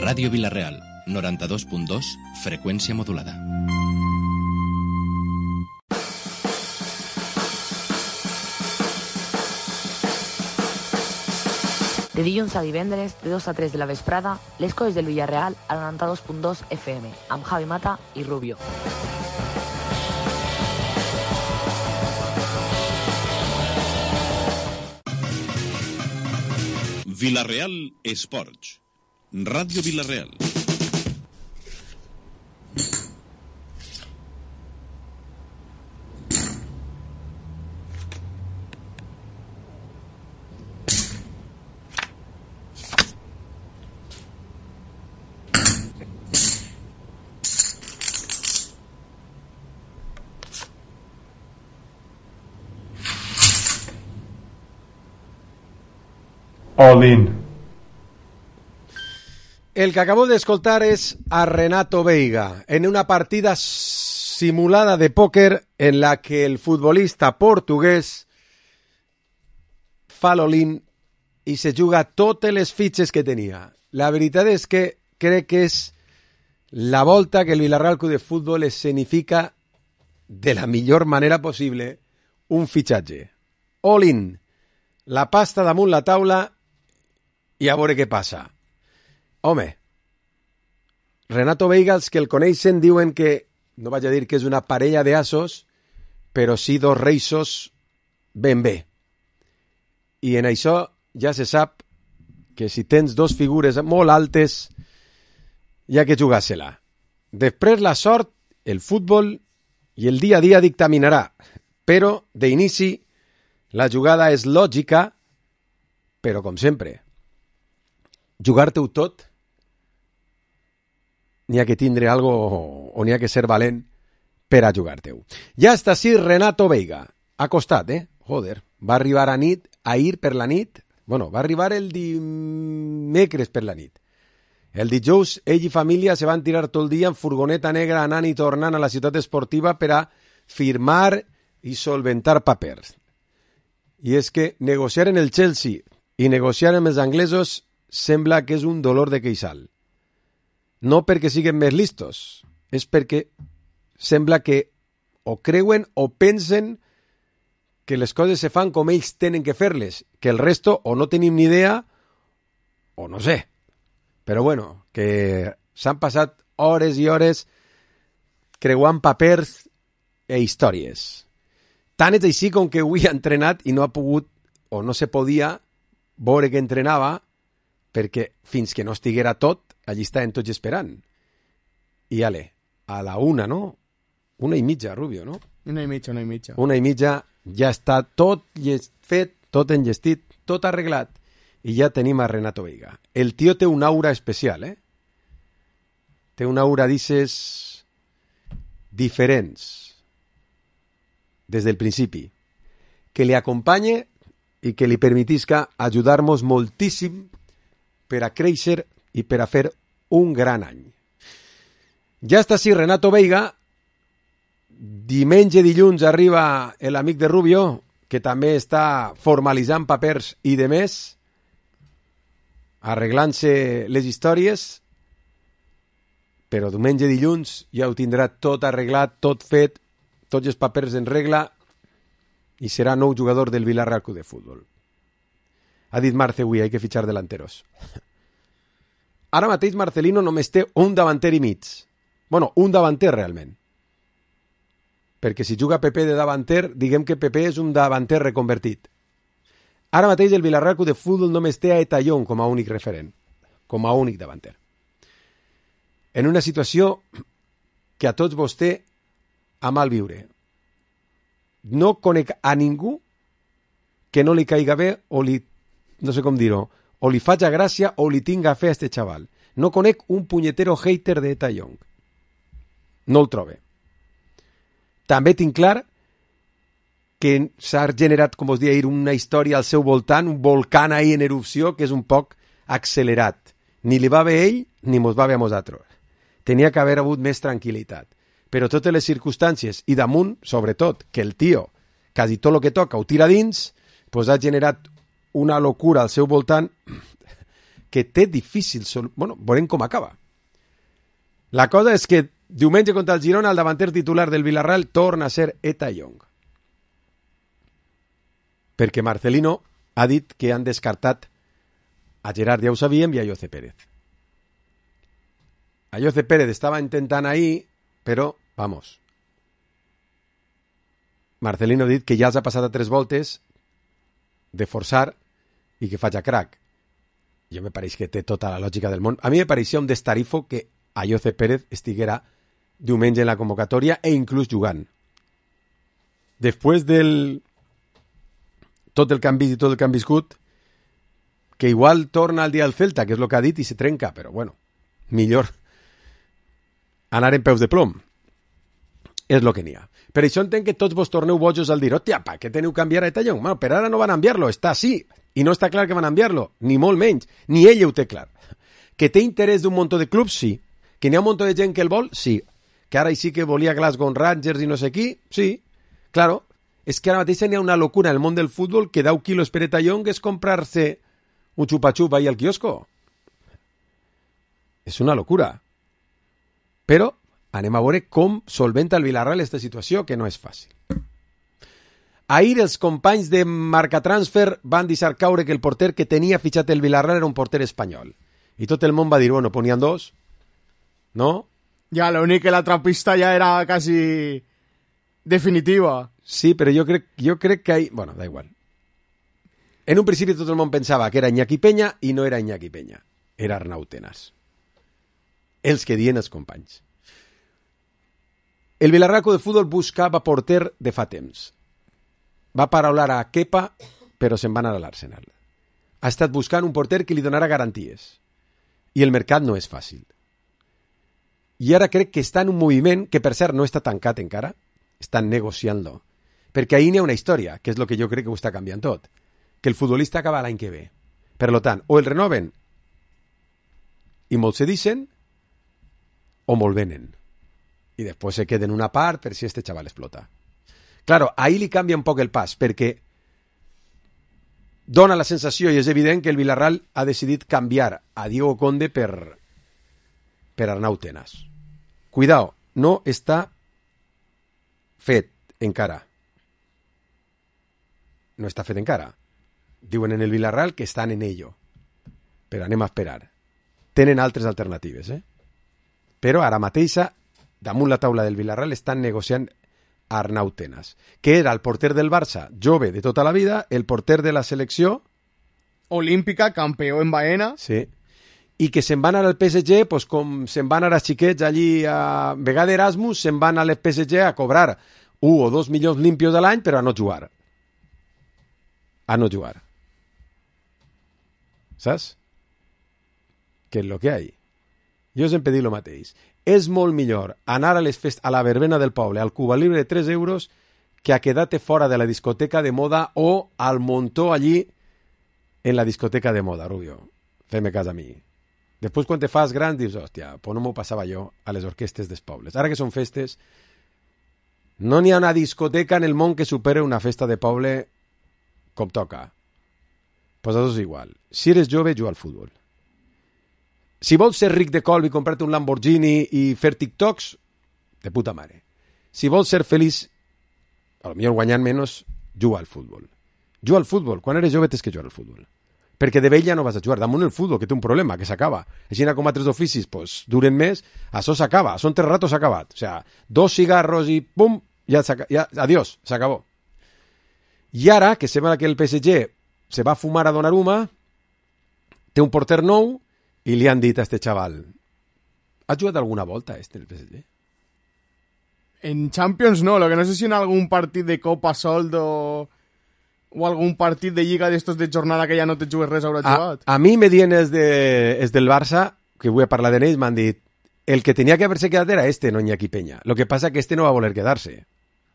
Ràdio Vila-real, 92.2, freqüència modulada. De dilluns a divendres, de 2 a 3 de la vesprada, les coses del Villarreal al 92.2 FM, amb Javi Mata i Rubio. Vila-real Esports. Ràdio Vila-real. All in. El que acabo de escoltar es a Renato Veiga en una partida simulada de póker en la que el futbolista portugués fa l'all-in i se juga totes les fitxes que tenia. La veritat és que crec que és la volta que el Villarreal Club de Fútbol escenifica de la millor manera possible un fitxatge. All-in, la pasta damunt la taula i a veure què passa. Home, Renato Veiga, els que el coneixen diuen que, no vaig a dir que és una parella d'assos, però sí dos reisos ben bé. I en això ja se sap que si tens dos figures molt altes, hi ha que jugar-se-la. Després la sort, el futbol i el dia a dia dictaminarà, però d'inici la jugada és lògica, però com sempre, jugar-te-ho tot, n'hi ha que tindre algo o n'hi ha que ser valent per a jugar-te-ho. Ja està així Renato Veiga. Ha costat, Joder. Va arribar ahir per la nit. Bueno, va arribar el dimecres per la nit. El dijous, ell i família se van tirar tot el dia en furgoneta negra anant i tornant a la ciutat esportiva per a firmar i solventar papers. I és que negociar en el Chelsea i negociar amb els anglesos sembla que és un dolor de queixal. No perquè siguin més listos, és perquè sembla que o creuen o pensen que les coses se fan com ells tenen que fer-les, que el resto o no tenim ni idea o no sé. Però bueno, que s'han passat hores i hores creuant papers e històries. Tant és així com que avui ha entrenat i no ha pogut o no se podia veure que entrenava perquè fins que no estiguera tot, allí estaven tots esperant. I ale, a la 1, no? 1:30, Rubio, no? 1:30. 1:30, ja està tot fet, tot enllestit, tot arreglat. I ja tenim a Renato Veiga. El tio té una aura especial, Té una aura, dices, diferents. Des del principi. Que li acompanye i que li permetisca ajudar-nos moltíssim per a créixer i per a fer un gran any. Ja està així Renato Veiga. Diumenge, dilluns arriba l'amic de Rubio, que també està formalitzant papers i de més, arreglant-se les històries, però diumenge, dilluns ja ho tindrà tot arreglat, tot fet, tots els papers en regla i serà nou jugador del Villarreal Club de Fútbol. Ha dit Marce avui, hay que fitxar delanteros. Ara mateix Marcelino només té un davanter i mig. Bueno, un davanter realment. Perquè si juga Pepe de davanter, diguem que Pepe és un davanter reconvertit. Ara mateix el Villarreal Club de Fútbol només té a Etallón com a únic referent, com a únic davanter. En una situació que a tots vostè a mal viure. No conec a ningú que no li caiga bé o li, no sé com dir-ho, o li faig gràcia o li tinga fe a este xaval. No conec un punyetero hater de Etallón. No el trobe. També tinc clar que s'ha generat, com us deia ahir, una història al seu voltant, un volcán ahí en erupció que és un poc accelerat. Ni li va bé ell, ni mos va bé a nosaltres. Tenia que haver hagut més tranquil·litat. Però totes les circumstàncies, i damunt, sobretot, que el tio, quasi tot el que toca, ho tira dins, pues ha generat una locura al seu voltant que té difícil... Bueno, veurem com acaba. La cosa és que diumenge contra el Girona el davanter titular del Villarreal torna a ser Eta Young. Perquè Marcelino ha dit que han descartat a Gerard, ja ho sabíem, i a José Pérez. A José Pérez estava intentant ahir, però, vamos, Marcelino ha dit que ja els ha passat a 3 voltes de forçar i que faig a crack. Jo me pareix que té tota la lògica del món. A mi me pareixia un destarifo que a José Pérez estiguera diumenge en la convocatòria e inclús jugant. Després del tot el que han vist i tot el que han viscut, que igual torna al dia del Celta, que és el que ha dit, i se trenca, però bueno, millor anar en peus de plom. És el que n'hi ha. Per això entenc que tots vos torneu bojos al dir, hòstia, pa, què teniu que canviar a Eta Young? Bueno, per ara no van a enviar-lo, està sí, i no està clar que van a enviar-lo, ni molt menys, ni ell ho té clar. Que té interès d'un munt de clubs, sí. Que n'hi ha un munt de gent que el vol, sí. Que ara sí que volia Glasgow Rangers i no sé qui, sí. Claro, és que ara mateix n'hi ha una locura en el món del futbol que 10 quilos per Eta Young és comprar-se un xupa-xup ahí al quiosco. És una locura. Però anem a veure com solventa el Villarreal aquesta situació, que no és fàcil. Ahir els companys de Marcatransfer van deixar caure que el porter que tenia fitxat el Villarreal era un porter espanyol. I tot el món va dir, bueno, ponien 2, no? Ja, l'únic que l'altra pista ja era quasi definitiva. Sí, però jo crec que ahí... Bueno, da igual. En un principi tot el món pensava que era Iñaki Peña i no era Iñaki Peña. Era Arnau Tenas. Els que dien els companys. El Villarreal de Futbol buscava porter de fa temps. Va paraular a Kepa, però se'n va anar a l'Arsenal. Ha estat buscant un porter que li donarà garanties. I el mercat no és fàcil. I ara crec que està en un moviment que, per cert, no està tancat encara. Estan negociant-lo. Perquè ahir n'hi ha una història, que és el que jo crec que ho està canviant tot. Que el futbolista acaba l'any que ve. Per tant, o el renoven i molt se deixen, o molt venen. I després se queden una part per si este xaval explota. Claro, ahí li canvia un poc el pas, perquè dona la sensació, i és evident, que el Villarreal ha decidit canviar a Diego Conde per Arnau Tenas. Cuidao, no està fet encara. No està fet encara. Diuen en el Villarreal que estan en ello. Però anem a esperar. Tenen altres alternatives, Però ara mateixa, damunt la taula del Villarreal, estan negociant Arnau Tenas, que era el porter del Barça, jove de tota la vida, el porter de la selecció olímpica, campió en Baena. Sí. I que se'n van anar al PSG, pues, com se'n van anar a xiquets allí a vegada Erasmus, se'n van al PSG a cobrar 1 o 2 milions limpios a l'any, però a no jugar. A no jugar. Saps? Que és lo que hay. Jo sempre dic el mateix. És molt millor anar a la verbena del poble, al Cuba Libre de 3 euros, que a quedar-te fora de la discoteca de moda o al montó allí en la discoteca de moda, Rubio. Fem-me cas a mi. Després, quan te fas gran, dius, hòstia, pues no m'ho passava jo a les orquestes dels pobles. Ara que són festes, no n'hi ha una discoteca en el món que supere una festa de poble com toca. Pues això és igual. Si eres jove, juga al futbol. Si vols ser ric de colp i comprar-te un Lamborghini i fer TikToks, de puta mare. Si vols ser feliç, a lo millor guanyant menys, juga al futbol. Juga al futbol. Quan eres jove tens que jugar al futbol. Perquè de vella no vas a jugar. Damunt el futbol, que té un problema, que s'acaba. Així com altres oficis, pues, duren més, això s'acaba. Són 3 ratos, s'ha acabat. O sea, 2 cigarros i pum, ja adiós, s'acabó. I ara, que sembla que el PSG se va a fumar a Donnarumma, té un porter nou, i li han dit a este xaval, has jugat alguna volta en el PSG? En Champions no, lo que no sé si en algún partit de Copa Soldo o algun partit de Lliga d'estos de jornada que ja no te jugues res haurà jugat. A mi me dient és del Barça, que vull parlar d'ells, m'han dit, el que tenia que haver-se quedat era no Iñaki Peña. Lo que passa que no va voler quedar-se.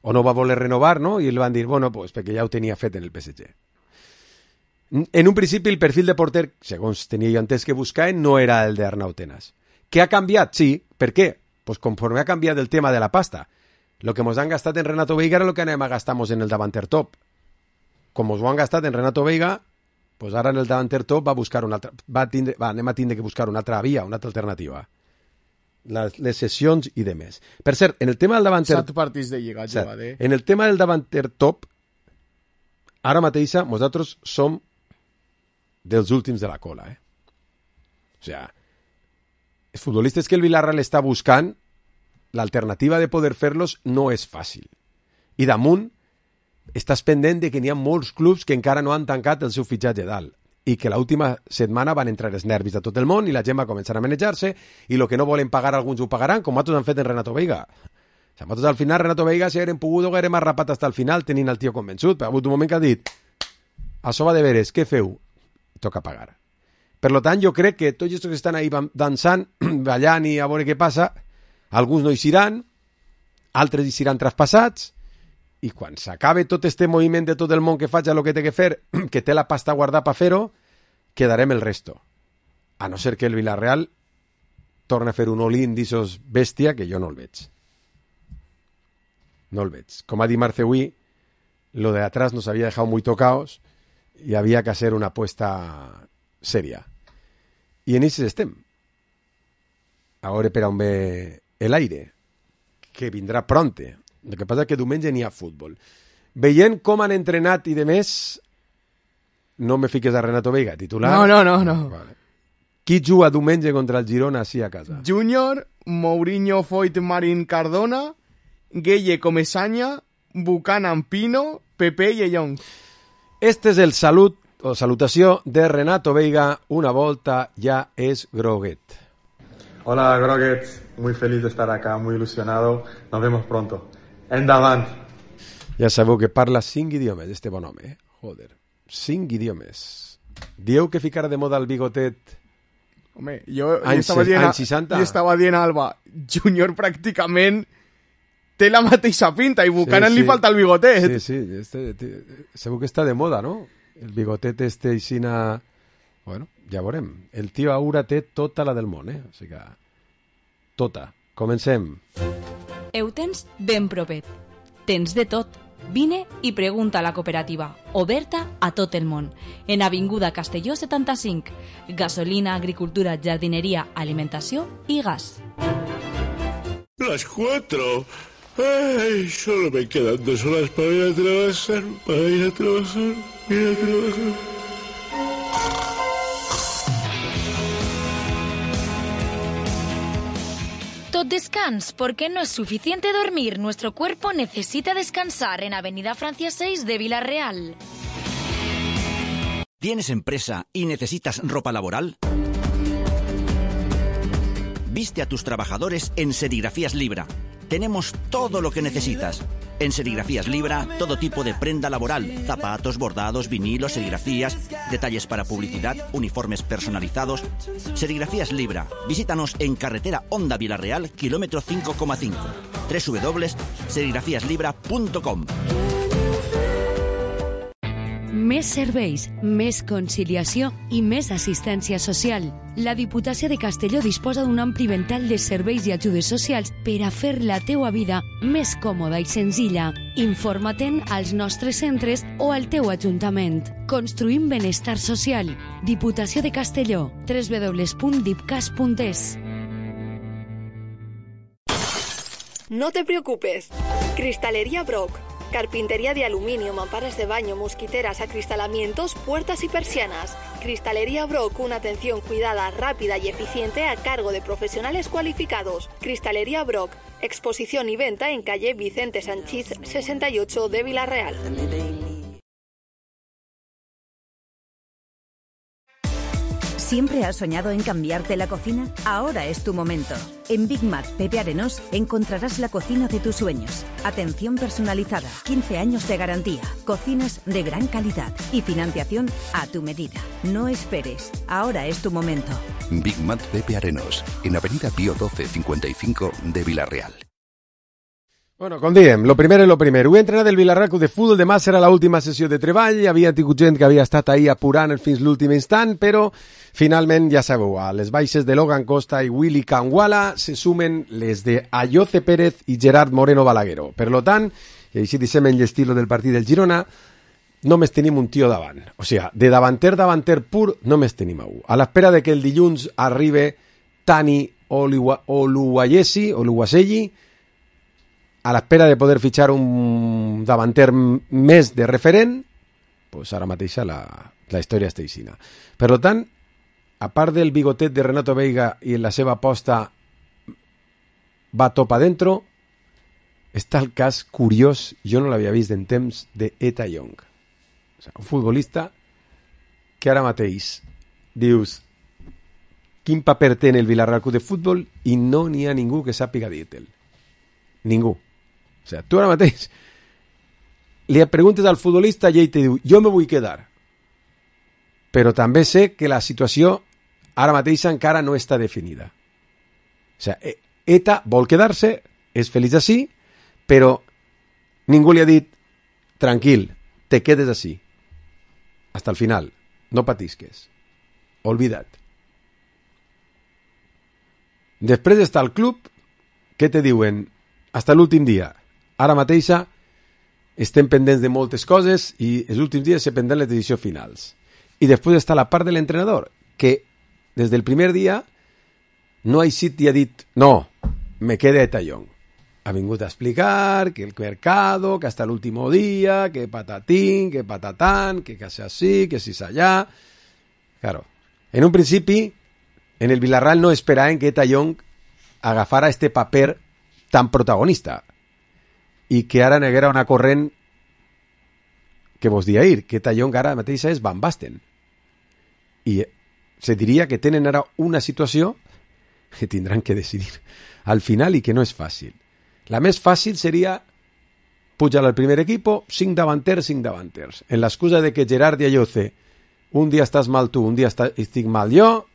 O no va voler renovar, no? I li van dir, bueno, pues perquè ja ho tenia fet en el PSG. En un principi el perfil de porter, segons tenia jo entès que buscaven, no era el d'Arnau Tenas. Què ha canviat? Sí. Per què? Pues conforme ha canviat el tema de la pasta. Lo que mos han gastat en Renato Veiga era lo que anem a gastar en el davanter top. Com mos ho han gastat en Renato Veiga, Pues ara en el davanter top anem a tindre que buscar una altra via, una altra alternativa. Les sessions i demés. Per cert, en el tema del davanter... 7 partits de Lliga jugat, En el tema del davanter top, ara mateixa nosaltres som dels últims de la cola, O sigui, els futbolistes que el Villarreal està buscant, l'alternativa de poder fer-los no és fàcil. I damunt, estàs pendent de que n'hi ha molts clubs que encara no han tancat el seu fitxatge dalt i que l'última setmana van entrar els nervis de tot el món i la gent va començar a manejar-se i el que no volen pagar alguns ho pagaran, com altres han fet en Renato Veiga. O sigui, nosaltres al final Renato Veiga, si haguem pogut, haguem arrapat fins al final tenint el tio convençut, però ha hagut un moment que ha dit això va de veres, què feu? Toca pagar. Per tant, jo crec que tots els que estan ahí dansant, ballant i a veure què passa, alguns no hi seran, altres hi seran traspassats, i quan s'acabe tot este moviment de tot el món que faig el que té que fer, que té la pasta guardada per fer-ho, quedarem el resto. A no ser que el Villarreal torni a fer un all-in d'issos bèstia, que jo no el veig. No el veig. Com ha dit Marceui, lo de atrás nos había dejado muy tocados y había que hacer una apuesta seria. I en això estem. Ara per on ve l'aire, que vindrà pronte. El que passa és que diumenge n'hi ha futbol. Veient com han entrenat i de més, no me fiques a Renato Veiga, titular. No. Vale. Qui juga diumenge contra el Girona així a casa? Júnior, Mourinho, Foyt, Marín, Cardona, Gueye, Comesaña, Buchanan, Pino, Pepe i Young. Este és el salut o salutació de Renato Veiga. Una volta ja és groguet. Hola, Groguets. Muy feliz de estar acá, muy ilusionado. Nos vemos pronto. Endavant. Ja sabeu que parla 5 idiomes, este bon home, Joder, 5 idiomes. Dieu que ficara de moda el bigotet. Home, jo estava dient a Alba, Júnior pràcticament té la mateixa pinta i Buchanan li falta el bigotet. Sí, segur que està de moda, no? El bigotet aixina... Bueno, ja veurem. El tio Aura té tota la del món, O sigui que... Tota. Comencem. Ho tens ben propet. Tens de tot. Vine i pregunta a la cooperativa, oberta a tot el món. En Avinguda Castelló 75. Gasolina, agricultura, jardineria, alimentació i gas. Las 4. Ay, solo me quedan 2 horas para ir a trabajar. Tot descans, porque no es suficiente dormir. Nuestro cuerpo necesita descansar en Avenida Francia 6 de Villarreal. ¿Tienes empresa y necesitas ropa laboral? Viste a tus trabajadores en Serigrafías Libra. Tenemos todo lo que necesitas. En Serigrafías Libra, todo tipo de prenda laboral, zapatos, bordados, vinilos, serigrafías, detalles para publicidad, uniformes personalizados. Serigrafías Libra. Visítanos en carretera Honda Villarreal, kilómetro 5,5. www.serigrafiaslibra.com. Més serveis, més conciliació i més assistència social. La Diputació de Castelló disposa d'un ampli ventall de serveis i ajudes socials per a fer la teua vida més còmoda i senzilla. Informa-te'n als nostres centres o al teu ajuntament. Construïm benestar social. Diputació de Castelló. www.dipcas.es. No te preocupes. Cristalería Brock. Carpintería de aluminio, mamparas de baño, mosquiteras, acristalamientos, puertas y persianas. Cristalería Brock, una atención cuidada, rápida y eficiente a cargo de profesionales cualificados. Cristalería Brock, exposición y venta en calle Vicente Sanchís 68 de Villarreal. ¿Siempre has soñado en cambiarte la cocina? Ahora es tu momento. En Big Mac Pepe Arenós encontrarás la cocina de tus sueños. Atención personalizada, 15 años de garantía, cocinas de gran calidad y financiación a tu medida. No esperes, ahora es tu momento. Big Mac Pepe Arenós, en Avenida Pío 12 55 de Villarreal. Bueno, com diem, lo primer és lo primer. Avui entrenat el Villarreal Club de Futbol, demà serà l'última sessió de treball, havia tingut gent que havia estat ahí apurant fins l'últim instant, però finalment, ja sabeu, a les baixes de Logan Costa i Willy Canguala se sumen les de Ayoce Pérez i Gerard Moreno Balaguero. Per lo tant, i així deixem en l'estilo del partit del Girona, només tenim un tio davant. O sigui, de davanter pur, només tenim a un. A l'espera de que el dilluns arribe Tani Oluwaseyi, a l'espera de poder fitxar un davanter més de referent, pues ara mateix la història està aixina. Per tant, a part del bigotet de Renato Veiga i la seva aposta va top adentro, està el cas curiós, jo no l'havia vist en temps, de Eta Young. O sigui, un futbolista que ara mateix dius quin paper té en el Villarreal Club de Futbol i no n'hi ha ningú que sàpiga dir-te'l. Ningú. O sigui, tu ara mateix li preguntes al futbolista i ell te diu jo me vull quedar. Però també sé que la situació ara mateix encara no està definida. O sigui, Eta vol quedar-se, és feliç així, però ningú li ha dit tranquil, te quedes així. Hasta el final. No patisques. Olvida't. Després està el club, què te diuen? Hasta l'últim dia. Ara mateixa estem pendents de moltes coses i els últims dies se prendran les decisions finals. I després està la part de l'entrenador, que des del primer dia no ha eixit i ha dit no, me queda Eta Young. Ha vingut a explicar que el mercado, que hasta l'último dia, que patatín, que patatán, que casi así, que si allá. Claro, en un principi, en el Villarreal no esperaven que Eta Young agafara este paper tan protagonista i que ara neguera una corrent que vos dia ir, que Eta Young ara mateixa és Van Basten. I se diria que tenen ara una situació que tindran que decidir al final i que no és fàcil. La més fàcil seria pujar al primer equipo, 5 davanters. En l'excusa de que Gerard i Ayoce, un dia estàs mal tu, un dia estic mal jo,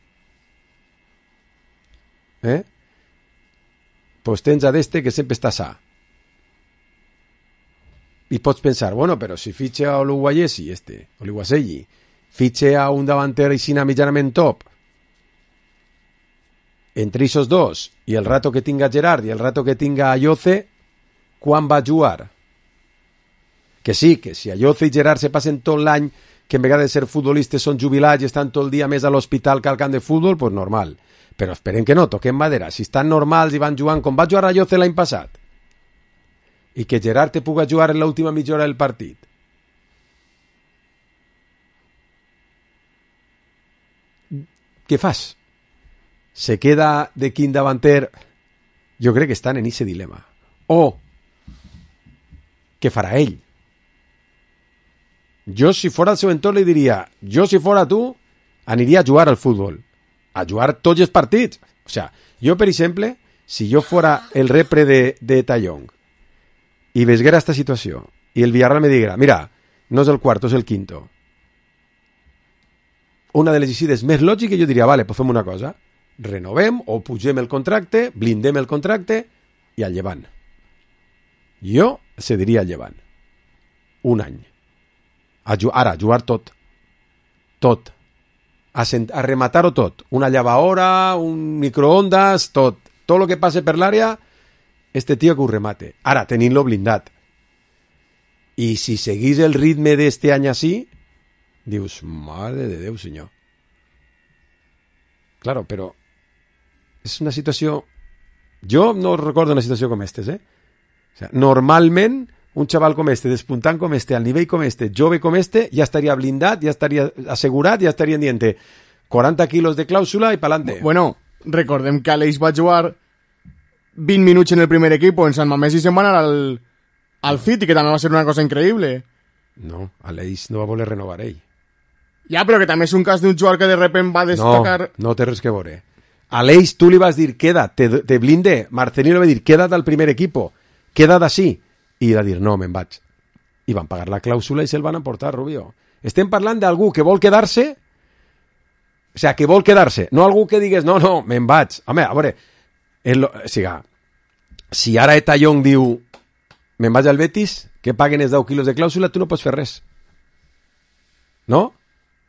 pues tens a d'este que sempre està sa. I pots pensar, bueno, però si fitxe a Oluwaseyi, fitxe a un davanter aixina mitjanament top, entre esos dos, i el rato que tinga Gerard i el rato que tinga Ayoce, quan va jugar? Que sí, que si Ayoce i Gerard se passen tot l'any, que en vegades de ser futbolistes són jubilats i estan tot el dia més a l'hospital que al camp de futbol, pues normal. Però esperem que no, toquem madera. Si estan normals i van jugant com va jugar Ayoce l'any passat, i que Gerard te puga jugar en l'última mitja hora del partit, què fas? Se queda de quin davanter? Jo crec que estan en ese dilema. O què farà ell? Jo, si fora el seu entorn, li diria, jo, si fora tu, aniria a jugar al futbol, a jugar tots els partits. O sea, jo, per exemple, si jo fora el repre de Eta Young i veguera esta situació i el Villarreal me diguera, mira, no és el quarto, és el quinto, una de les decides més lògiques, jo diria, vale, pues fem una cosa, renovem o pugem el contracte, blindem el contracte i al llevant. Jo cediria al llevant. Un any. Ara, jugar tot. Tot. A rematar-ho tot. Una llevaora, un microondas, tot. Tot el que passe per l'àrea, este tio que ho remate. Ara, tenint-lo blindat. I si seguís el ritme d'este any així, dius, mare de Déu, senyor. Claro, però és una situació... Jo no recordo una situació com aquesta, O sea, normalment, un xaval com este, despuntant com este, al nivell com este, jove com este, ja estaria blindat, ja estaria assegurat, ja estaria dient 40 quilos de clàusula i pa'lante. Bueno, recordem que Aleix va jugar 20 minuts en el primer equipo en Sant Mamés i se'n va anar al City, que també va ser una cosa increïble. No, Aleix no va voler renovar ell. Ja, però que també és un cas d'un jugador que de repente va destacar... No té res que veure. Aleix, tu li vas dir, queda't, te blinde. Marcelino va dir, queda't al primer equipo, queda't així. I va dir, no, me'n vaig. I van pagar la clàusula i se'l van emportar, Rubio. Estem parlant d'algú que vol quedar-se, o sea, que vol quedar-se, no algú que digues, no, me'n vaig. Home, a veure, si ara Eta Young diu, me'n vaig al Betis, que paguen els 10 quilos de clàusula, tu no pots fer res. No?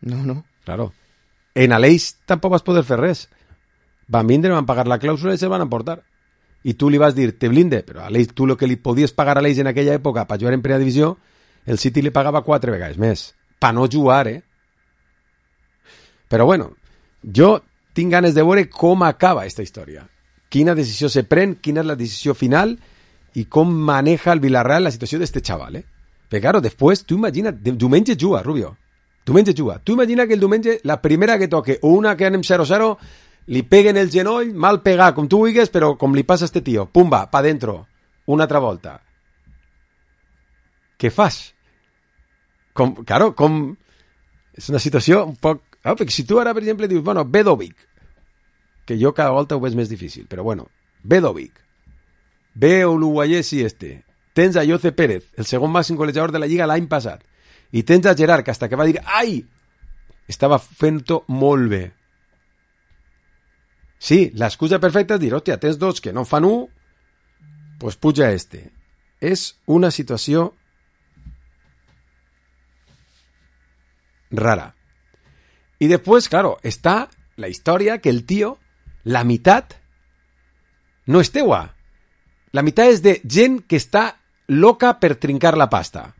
No. Claro. En Aleix tampoc vas poder fer res. Van vindre, van pagar la clàusula i se'l van emportar. I tu li vas dir, te blinde, però Aleix, tu el que li podies pagar a Aleix en aquella època per jugar en primera divisió el City li pagava 4 vegades més. Per no jugar, Però bueno, jo tinc ganes de veure com acaba aquesta història. Quina decisió se pren, quina és la decisió final i com maneja el Villarreal la situació d'este xaval, Perquè, claro, després, tu imagina't, diumenge juga, Rubio. Diumenge juga. Tu imagina que el diumenge, la primera que toque, o una que anem 0-0, li peguen el genoll, mal pegar, com tu vulguis, però com li passa a este tio. Pumba, pa dentro. Una altra volta. Què fas? Claro, és una situació un poc... perquè si tu ara, per exemple, dius, bueno, Bedovic, que jo cada volta ho veig més difícil, però bueno, Bedovic, ve l'uruguayesi tens a Jose Pérez, el segon màxim golejador de la Lliga l'any passat, i tens a Gerard, que hasta que va dir, ai, estava fent-ho molt bé. Sí, l'excusa perfecta és dir, hòstia, tens dos que no fan un, pues puja És una situació rara. Y después, claro, está la historia que el tío, la mitad, no és teua. La mitad és de gent que està loca per trincar la pasta.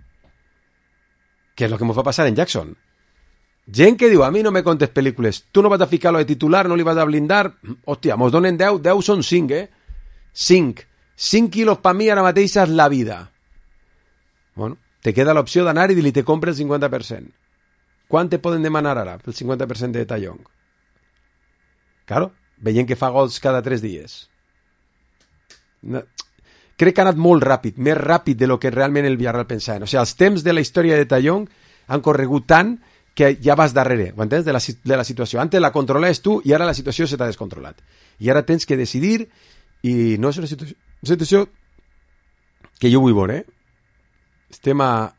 Que és lo que me va passar en Jackson. Gent que diu, a mi no me contes pel·lícules, tu no vas a ficar-lo de titular, no li vas a blindar, hòstia, mos donen 10, 10 són 5, 5 quilos per mi ara mateix és la vida. Bueno, te queda l'opció d'anar i dir-li te compra el 50%. Quant te poden demanar ara pel 50% de Tallong? Claro, veient que fa gols cada 3 dies. No, crec que ha anat molt ràpid, més ràpid de lo que realment el Villarreal pensava. O sigui, els temps de la història de Tallong han corregut tant que ja vas darrere, ho entens? De la situació. Antes la controlaves tu i ara la situació se t'ha descontrolat. I ara tens que decidir i no és una situació que jo vull veure. Estem a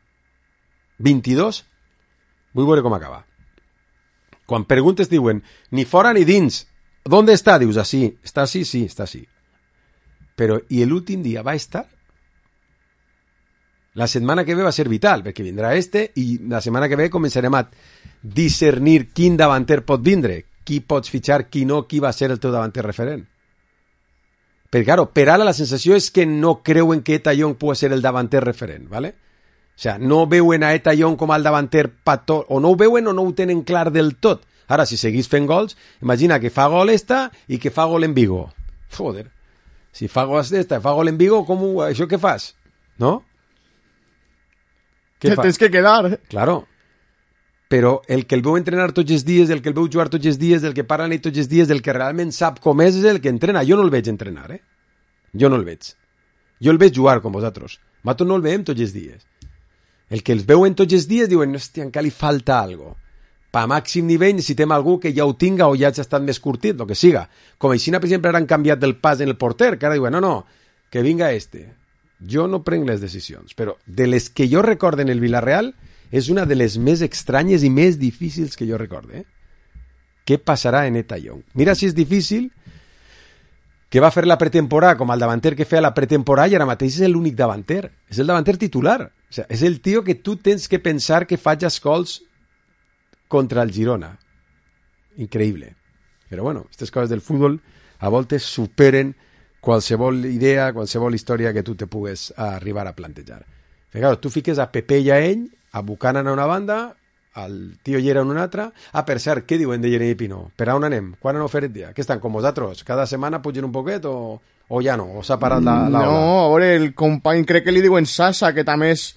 22, vull veure com acaba. Quan preguntes diuen ni fora ni dins, ¿dónde está? Dius, así. ¿Está así? Sí, está así. Però, i l'últim dia va estar? La setmana que ve va ser vital, perquè vindrà i la setmana que ve començarem a discernir quin davanter pot vindre, qui pots fitxar, qui no, qui va ser el teu davanter referent. Perquè, claro, per ara la sensació és que no creuen que Tallong pugui ser el davanter referent, ¿vale? O sea, no veuen a Tallong com el davanter pató, o no ho veuen o no ho tenen clar del tot. Ara, si seguís fent gols, imagina que fa gol i que fa gol en Vigo. Joder, si fa gol i fa gol en Vigo, això què fas? No? Te tens que quedar. Claro. Però el que el veu entrenar tots els dies, el que el veu jugar tots els dies, el que parla amb ell tots els dies, el que realment sap com és el que entrena. Jo no el veig entrenar, Jo no el veig. Jo el veig jugar com vosaltres. Nosaltres no el veiem tots els dies. El que els veuen tots els dies diuen, hòstia, encara li falta algo. Pa màxim nivell necessitem algú que ja ho tinga o ja ha estat més curtit, el que siga. Com així, per exemple, ara han canviat del pas en el porter, que ara diuen, no, que vinga Jo no prenc les decisions, però de les que jo recorde en el Villarreal és una de les més estranyes i més difícils que jo recorde. Què passarà en Tallong? Mira si és difícil que va fer la pretemporada com el davanter que feia la pretemporada i ara mateix és l'únic davanter. És el davanter titular. O sigui, és el tio que tu tens que pensar que faig gols contra el Girona. Increïble. Però bueno, aquestes coses del futbol a voltes superen qualsevol idea, qualsevol història que tu te pugues arribar a plantejar. Perquè, clar, tu fiques a Pepe i a ell, a Buchanan a una banda, al tio Llera en una altra. Per cert, què diuen de Jeremy Pino? Per on anem? Quan han oferit dia? Què estan com vosaltres? Cada setmana pugen un poquet o ja no? O s'ha parat la ola? No, a veure, el company crec que li diuen Sasa, que també és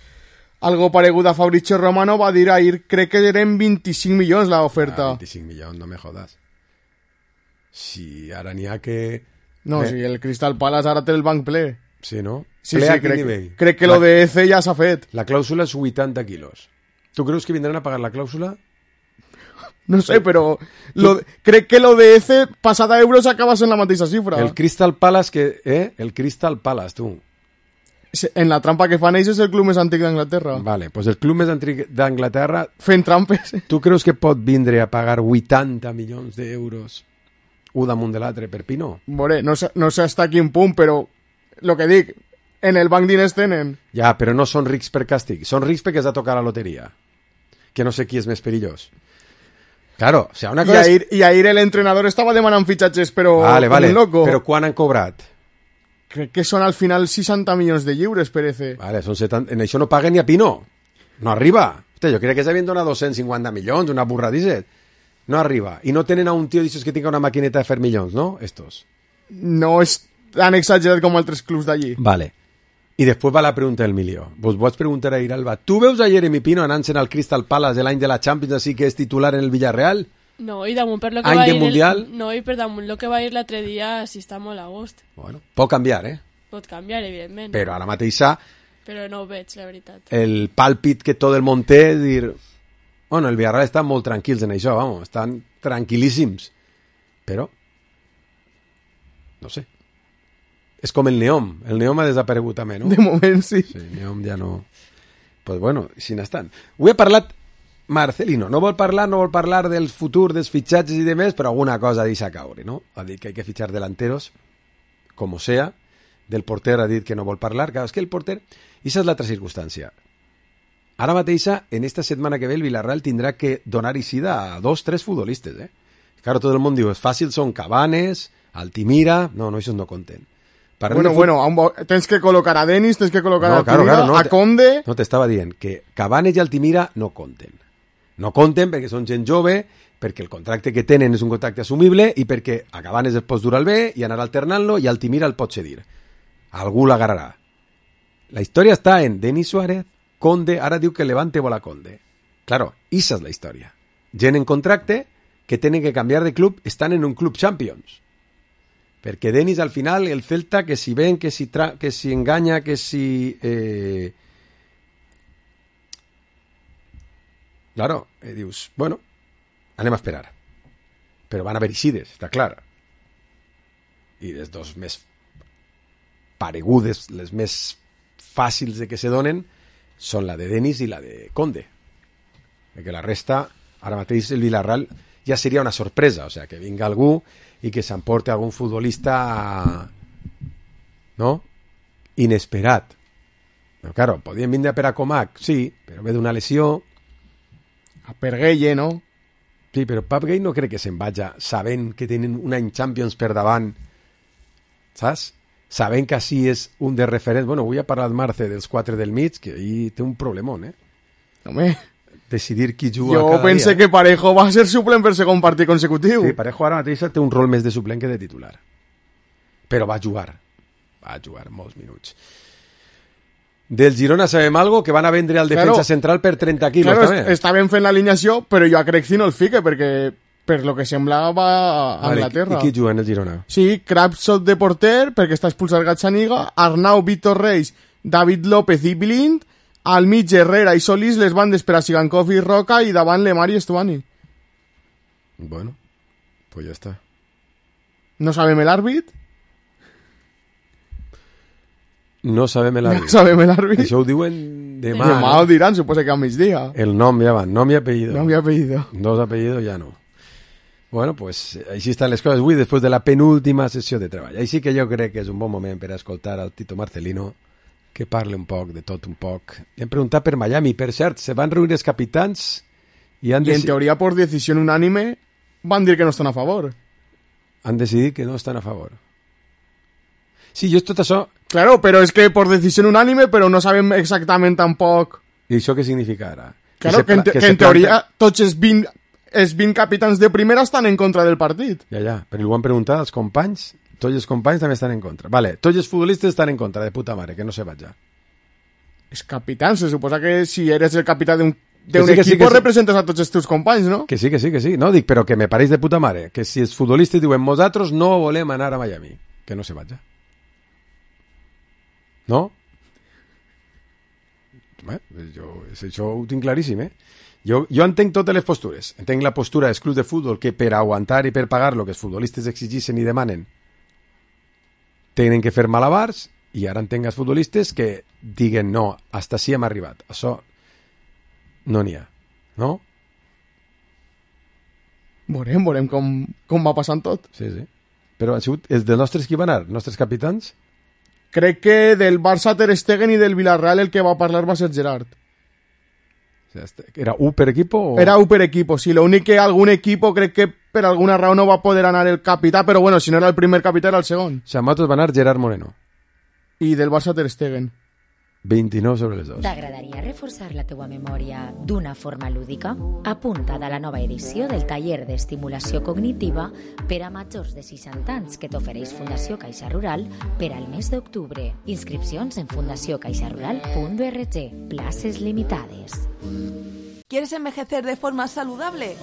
algo paregut a Fabrizio Romano, va dir ahir, crec que eren 25 milions l'oferta. 25 milions, no me jodas. Si ara n'hi ha que... No, si el Crystal Palace ara té el banc ple. Sí, no? Sí, crec que lo de EC ja s'ha fet. La clàusula és 80 quilos. Tu creus que vindran a pagar la clàusula? No sé, però crec que lo de EC passada euros acaba sent la mateixa xifra. El Crystal Palace, el Crystal Palace, tu. En la trampa que fan ells és el club més antic d'Anglaterra. Vale, pues el club més antic d'Anglaterra... Fent trampes. Tu creus que pot vindre a pagar 80 milions d'euros un damunt de l'altre per Pino? Veure, no sé fins a quin punt, però el que dic, en el banc diners tenen. Ja, però no són rics per càstig, són rics perquè has de tocar la loteria, que no sé qui és més perillós. Claro, o sea, una cosa I ahir l'entrenador estava demanant fitxatges, però vale, com un loco. Però quan han cobrat? Crec que són al final 60 milions de lliures per EC. Vale, són 70... En això no paguen ni a Pino. No arriba. Hòstia, jo crec que s'havien donat 250 milions, una burradissa. No arriba. I no tenen a un tio d'aixòs que tinga una maquineta de fer milions, no? Estos. No és tan exagerat com altres clubs d'allí. Vale. I després va la pregunta del milió. Vos pots preguntar a Iralba, tu veus a Jeremy Pino anant-se'n al Crystal Palace l'any de la Champions, així que és titular en el Villarreal? No, i damunt per lo que Any va de ir Mundial? no, i per damunt lo que va ir l'altre dia, si està molt a gust. Bueno, pot canviar, Pot canviar, evidentment. Però ara mateixa Però no ho veig, la veritat. el pàlpit que tot el món té és dir... Bueno, el Villarreal estan molt tranquils en això, vamos, estan tranquil·líssims. Però... No sé. És com el Neom. El Neom ha desaparegut també, no? De moment, sí. Sí, el Neom ja no... Pues bueno, si n'estan. Ho he parlat Marcelino. No vol parlar del futur, dels fitxatges i de més, però alguna cosa deixa caure, no? Ha dit que hay que fichar delanteros, como sea. Del porter ha dit que no vol parlar. Clar, és que el porter... I esa és l'altra circumstància. Ara mateixa, en esta setmana que ve, el Villarreal tindrà que donar eixida a 2-3 futbolistes, Claro, tot el món diu, és fàcil, són Cabanes, Altimira... No, això no compten. Bueno, tens que col·locar a Denis, tens que col·locar a Altimira, no, a Conde... No, t'estava dient que Cabanes i Altimira no compten. No compten perquè són gent jove, perquè el contracte que tenen és un contracte assumible i perquè a Cabanes el pots dur al B i anar alternant-lo i Altimira el pots cedir. Algú l'agarrarà. La història està en Denis Suárez, Conde, ara diu que Levante vol a Conde. Claro, esa és la història. Gent en contracte que tenen que canviar de club estan en un club Champions. Perquè Denis al final, el Celta, que si ven, que si enganya, que si... Claro, dius, bueno, anem a esperar. Però van haver eixides, està clar. I les dos més paregudes, les més fàcils de que se donen, són la de Denis i la de Conde. Perquè la resta, ara mateix el Villarreal ja seria una sorpresa, o sea, que vinga algú i que s'emporte algun futbolista no? Inesperat. Però, claro, podien vindre per a Comac, sí, però ve d'una lesió. A Perguelle, no? Sí, però Pep Gay no crec que se'n vaja sabent que tenen un any Champions per davant, saps? Sabent que així és un de referents. Bueno, avui ha parlat Marce dels 4 del mig, que ahí té un problemón, Home... Decidir qui juga jo cada pense dia. Que Parejo va ser suplent per segon partit consecutiu. Sí, Parejo ara mateix té un rol més de suplent que de titular. Però va jugar molts minuts. Del Girona sabem algo, que van a vendre al defensa central per 30 quilos. Claro, també. està ben fent l'alineació, però jo a Crecci no el fique, perquè per lo que sembla va a Anglaterra. I qui juga en el Girona? Sí, Krabsot de porter, perquè està expulsat Gazzaniga, Arnau, Víctor Reis, David López i Blind, al mig Herrera i Solís, les bandes per a Sigankov i Roca, i davant Lemar i Estuani. Bueno, pues ja està. No sabem l'àrbit? No sabem l'àrbit. No sabem l'àrbit. Això ho diuen demà. Demà ho diran, suposa que a migdia. El nom ja van, nom i apellido. Nom i apellido. Dos apellidos ja no. Bueno, pues així estan les coses avui, després de la penúltima sessió de treball. Així que jo crec que és un bon moment per escoltar al Tito Marcelino, que parli un poc de tot un poc. Li hem preguntat per Miami. Per cert, se van reunir els capitans i han en teoria, por decisión unánime, van dir que no estan a favor. Han decidit que no estan a favor. Sí, jo tot això... Claro, però és que por decisión unánime, però no sabem exactament tampoc... I això què significa ara? Claro, que en teoria tots els 20 capitans de primera estan en contra del partit. Ja, però ho han preguntat als companys. Tots els companys també estan en contra. Vale, tots els futbolistes estan en contra, de puta mare, que no se vaja. Els capitans, se suposa que si eres el capità d'un equip representes a tots els teus companys, no? Que sí. No, dic, però que me pareix de puta mare. Que si els futbolistes diuen, nosaltres no volem anar a Miami, que no se vaja. No? Això ho tinc claríssim, Jo entenc totes les postures. Entenc la postura dels clubs de futbol que per aguantar i per pagar el que els futbolistes exigeixen i demanen tenen que fer malabars, i ara entenc els futbolistes que diguen no, hasta així hem arribat. Això no n'hi ha, no? Veurem com va passant tot. Sí. Però han sigut els dels nostres qui van anar, nostres capitans? Crec que del Barça Ter Stegen i del Villarreal el que va parlar va ser Gerard. ¿Era U per equipo? O... Era U per equipo, sí. Lo únic que algun equipo crec que per alguna raó no va poder anar el capità, però bueno, si no era el primer capità era el segon. Xamatos va anar Gerard Moreno. I del Barça Ter Stegen. 29 sobre les 2. T'agradaria reforçar la teua memòria d'una forma lúdica? Apunta't a la nova edició del taller d'estimulació cognitiva per a majors de 60 anys que t'ofereix Fundació Caixa Rural per al mes d'octubre. Inscripcions en fundaciocaixarural.org. Places limitades. ¿Quieres envejecer de forma saludable?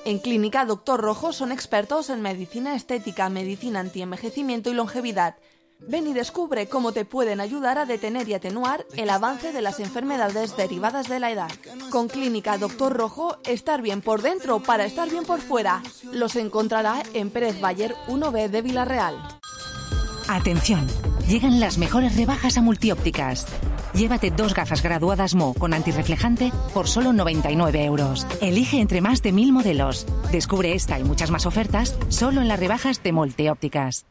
En Clínica Dr. Rojo son expertos en medicina estética, medicina antienvejecimiento y longevidad. Ven y descubre cómo te pueden ayudar a detener y atenuar el avance de las enfermedades derivadas de la edad. Con Clínica Dr. Rojo, estar bien por dentro para estar bien por fuera. Los encontrará en Pérez Bayer 1B de Villarreal. Atención, llegan las mejores rebajas a Multiópticas. Llévate 2 gafas graduadas Mo con antirreflejante por solo 99 euros. Elige entre más de 1000 modelos. Descubre esta y muchas más ofertas solo en las rebajas de Multiópticas.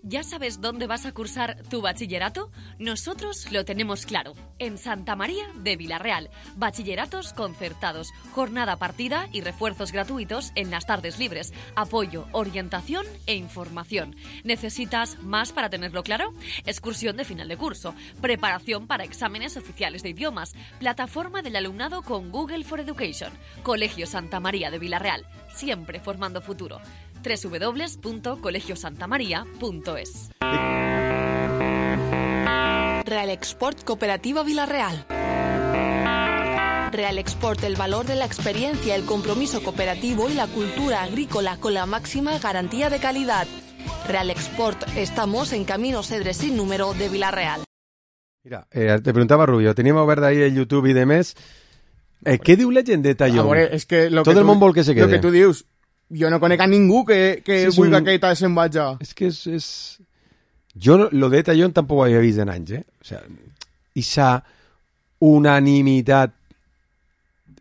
¿Ya sabes dónde vas a cursar tu bachillerato? Nosotros lo tenemos claro. En Santa María de Villarreal. Bachilleratos concertados, jornada partida y refuerzos gratuitos en las tardes libres. Apoyo, orientación e información. ¿Necesitas más para tenerlo claro? Excursión de final de curso. Preparación para exámenes oficiales de idiomas. Plataforma del alumnado con Google for Education. Colegio Santa María de Villarreal. Siempre formando futuro. www.colegiosantamaria.es. Real Export Cooperativa Villarreal. Real Export, el valor de la experiencia, el compromiso cooperativo y la cultura agrícola con la máxima garantía de calidad. Real Export, estamos en Camino Cedre sin número de Villarreal. Mira, te preguntava Rubio, teníem obert ahir el YouTube i demés. Què diu la gent de Talló? És que Tot el món vol que se quede. Lo que tu dius, jo no conec a ningú que sí, vulgui que Keita se'n vaja. És que és... Jo lo de Tallón tampoc ho havia vist en anys, O sea, esa unanimitat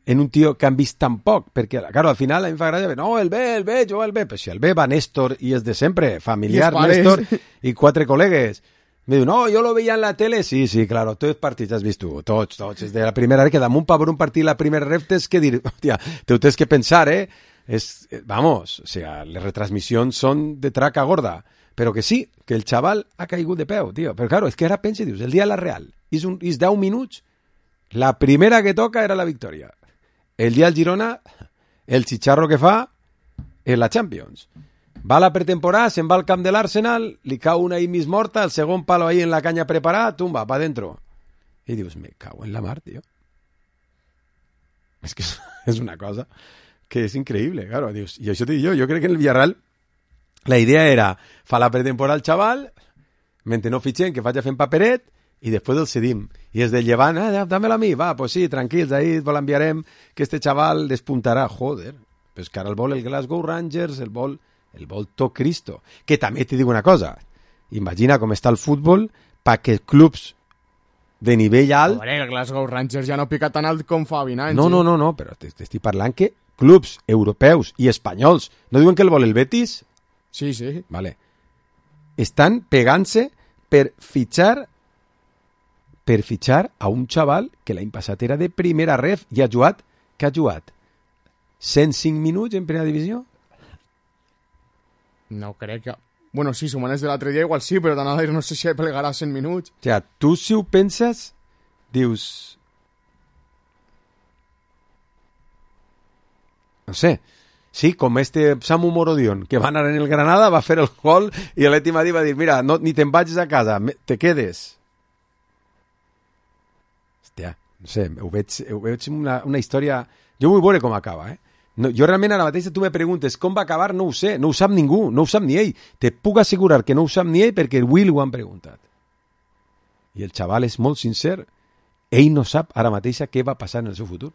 en un tio que han vist tan poc, perquè, claro, al final a mi em fa gràcia, no, el B, jo el B, però si el B va Néstor i és de sempre, familiar Néstor i 4 col·legues. Me diu, no, jo lo veia en la tele. Sí, claro, tots els partits has vist tu, tots, és de la primera vez que damunt per un partit la primera ref tens que dir, hòstia, te ho tens que pensar, vamos, o sea, les retransmissions són de traca gorda, però que sí, que el xaval ha caigut de peu, tio. Però claro, és que ara pensa i dius, el dia de la Real, és 10 minuts, la primera que toca era la victòria. El dia del Girona, el xicharro que fa és la Champions. Va a la pretemporada, se'n va al camp de l'Arsenal, li cau una ahí mig morta, el segon palo ahí en la canya preparada, tumba, pa dentro. I dius, me cago en la mar, tio. És que és una cosa que és increïble, claro, dius, i això t'ho dic jo crec que en el Villarreal la idea era fa la pretemporada al xaval, mentre no fitxem, que faci fent paperet, i després el cedim. I és del llevant, dámelo a mi, va, pues sí, tranquils, ahí vol enviarem que este xaval despuntarà. Joder, però és que ara el vol el Glasgow Rangers, el vol tot Cristo. Que també t'hi dic una cosa, imagina com està el futbol perquè clubs de nivell alt... Joder, el Glasgow Rangers ja no pica tan alt com fa 20 anys. No, però t'estic parlant que clubs europeus i espanyols, no diuen que el vol el Betis? Sí. Vale. Estan pegant-se per fitxar a un xaval que l'any passat era de primera ref i ha jugat 105 minuts en primera divisió? No crec que... Bueno, sí, sumant els de l'altre dia igual sí, però d'anada no sé si plegarà 100 minuts. O sea, tu si ho penses, dius... No sé, sí, com Samu Morodion, que va anar en el Granada, va fer el gol i l'Atleti Madrid va dir, mira, no, ni te'n vagis a casa, te quedes. Hòstia, no sé, ho veig una història... Jo vull veure com acaba, No, jo realment ara mateix tu me preguntes com va acabar, no ho sé, no ho sap ningú, no ho sap ni ell. Te puc assegurar que no ho sap ni ell perquè avui ho han preguntat. I el xaval és molt sincer. Ell no sap ara mateix què va passar en el seu futur.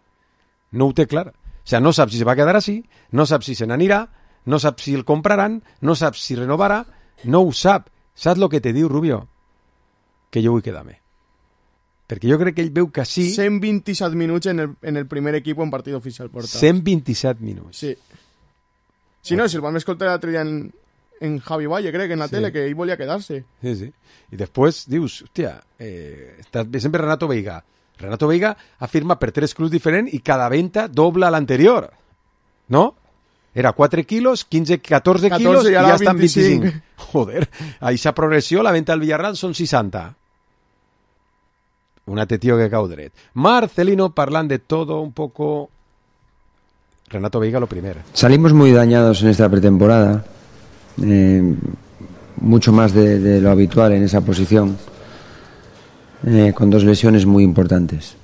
No ho té clar. O sea, no sap si se va quedar així, no sap si se n'anirà, no sap si el compraran, no sap si renovarà, no ho sap. Saps el que te diu, Rubio? Que jo vull quedar-me. Perquè jo crec que ell veu que sí... 127 minuts en el primer equip en partit oficial portat. 127 minuts. Sí. Si no, si el vam escoltar l'altre dia en Javi Valle, crec, en la tele, que ell volia quedar-se. Sí. I després dius, hòstia, sempre Renato Veiga. Renato Veiga afirma per 3 clubs diferents i cada venta dobla l'anterior. No? Era 4 quilos, 15, 14 quilos i ja estan 25. Joder, a aquesta progressió la venta al Villarreal són 60. Un altre tio que cau dret. Marcelino parlant de todo un poco. Renato Veiga lo primero. Salimos muy dañados en esta pretemporada, mucho más de lo habitual en esa posición, con dos lesiones muy importantes,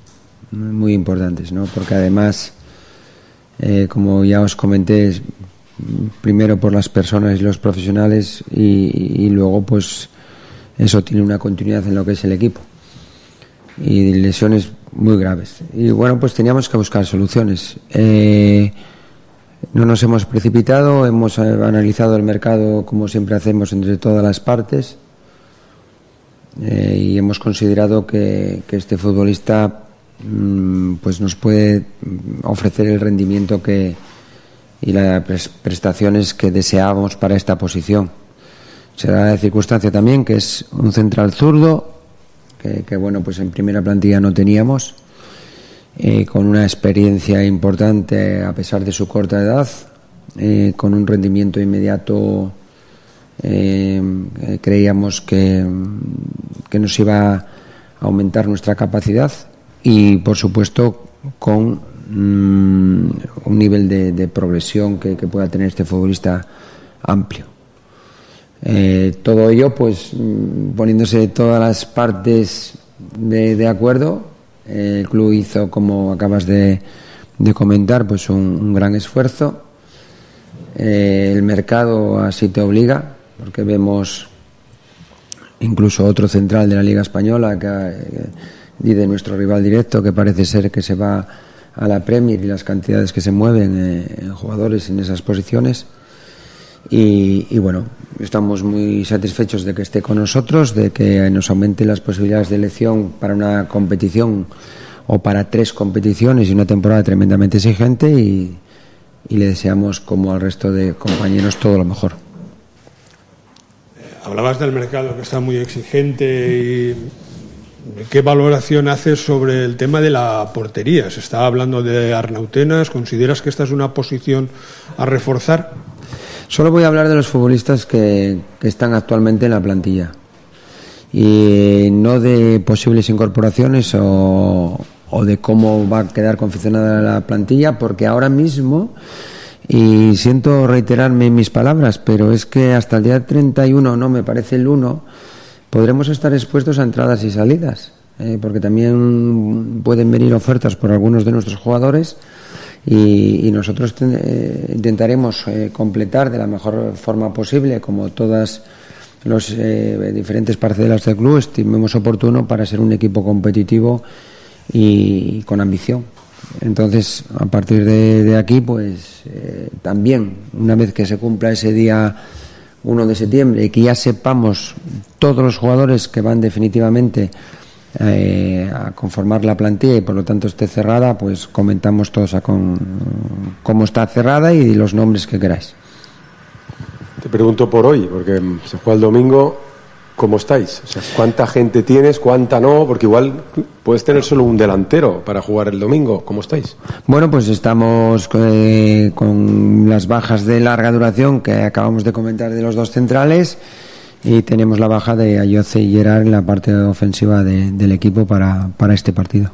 ¿no? Porque además, como ya os comenté, primero por las personas y los profesionales y luego pues eso tiene una continuidad en lo que es el equipo y lesiones muy graves. Y bueno, pues teníamos que buscar soluciones. No nos hemos precipitado, hemos analizado el mercado como siempre hacemos entre todas las partes y hemos considerado que este futbolista pues nos puede ofrecer el rendimiento y las prestaciones que deseábamos para esta posición. Se da la circunstancia también que es un central zurdo que bueno, pues en primera plantilla no teníamos, con una experiencia importante a pesar de su corta edad, con un rendimiento inmediato. Creíamos que nos iba a aumentar nuestra capacidad y por supuesto con un nivel de progresión que pueda tener este futbolista amplio. Todo ello pues poniéndose todas las partes de acuerdo. El club hizo, como acabas de comentar, pues un gran esfuerzo. El mercado así te obliga, porque vemos incluso otro central de la Liga Española y de nuestro rival directo que parece ser que se va a la Premier, y las cantidades que se mueven en jugadores en esas posiciones. Y bueno, estamos muy satisfechos de que esté con nosotros, de que nos aumente las posibilidades de elección para una competición o para 3 competiciones y una temporada tremendamente exigente, y le deseamos, como al resto de compañeros, todo lo mejor. Hablabas del mercado que está muy exigente, y ¿qué valoración haces sobre el tema de la portería? Se está hablando de Arnautenas. ¿Consideras que esta es una posición a reforzar? Solo voy a hablar de los futbolistas que están actualmente en la plantilla y no de posibles incorporaciones o de cómo va a quedar confeccionada la plantilla, porque ahora mismo, y siento reiterarme en mis palabras, pero es que hasta el día 31, no me parece el 1, podremos estar expuestos a entradas y salidas, porque también pueden venir ofertas por algunos de nuestros jugadores. Y nosotros intentaremos completar de la mejor forma posible, como todas las diferentes parcelas del club estimemos oportuno, para ser un equipo competitivo y con ambición. Entonces, a partir de aquí, pues también, una vez que se cumpla ese día 1 de septiembre y que ya sepamos todos los jugadores que van definitivamente a conformar la plantilla y por lo tanto esté cerrada, pues comentamos todos cómo está cerrada y los nombres que queráis. Te pregunto por hoy, porque se juega el domingo. ¿Cómo estáis? O sea, ¿cuánta gente tienes? ¿Cuánta no? Porque igual puedes tener solo un delantero para jugar el domingo. ¿Cómo estáis? Bueno, pues estamos con las bajas de larga duración que acabamos de comentar de los 2 centrales. Y tenemos la baja de Ayoce y Gerard en la parte ofensiva del equipo para este partido.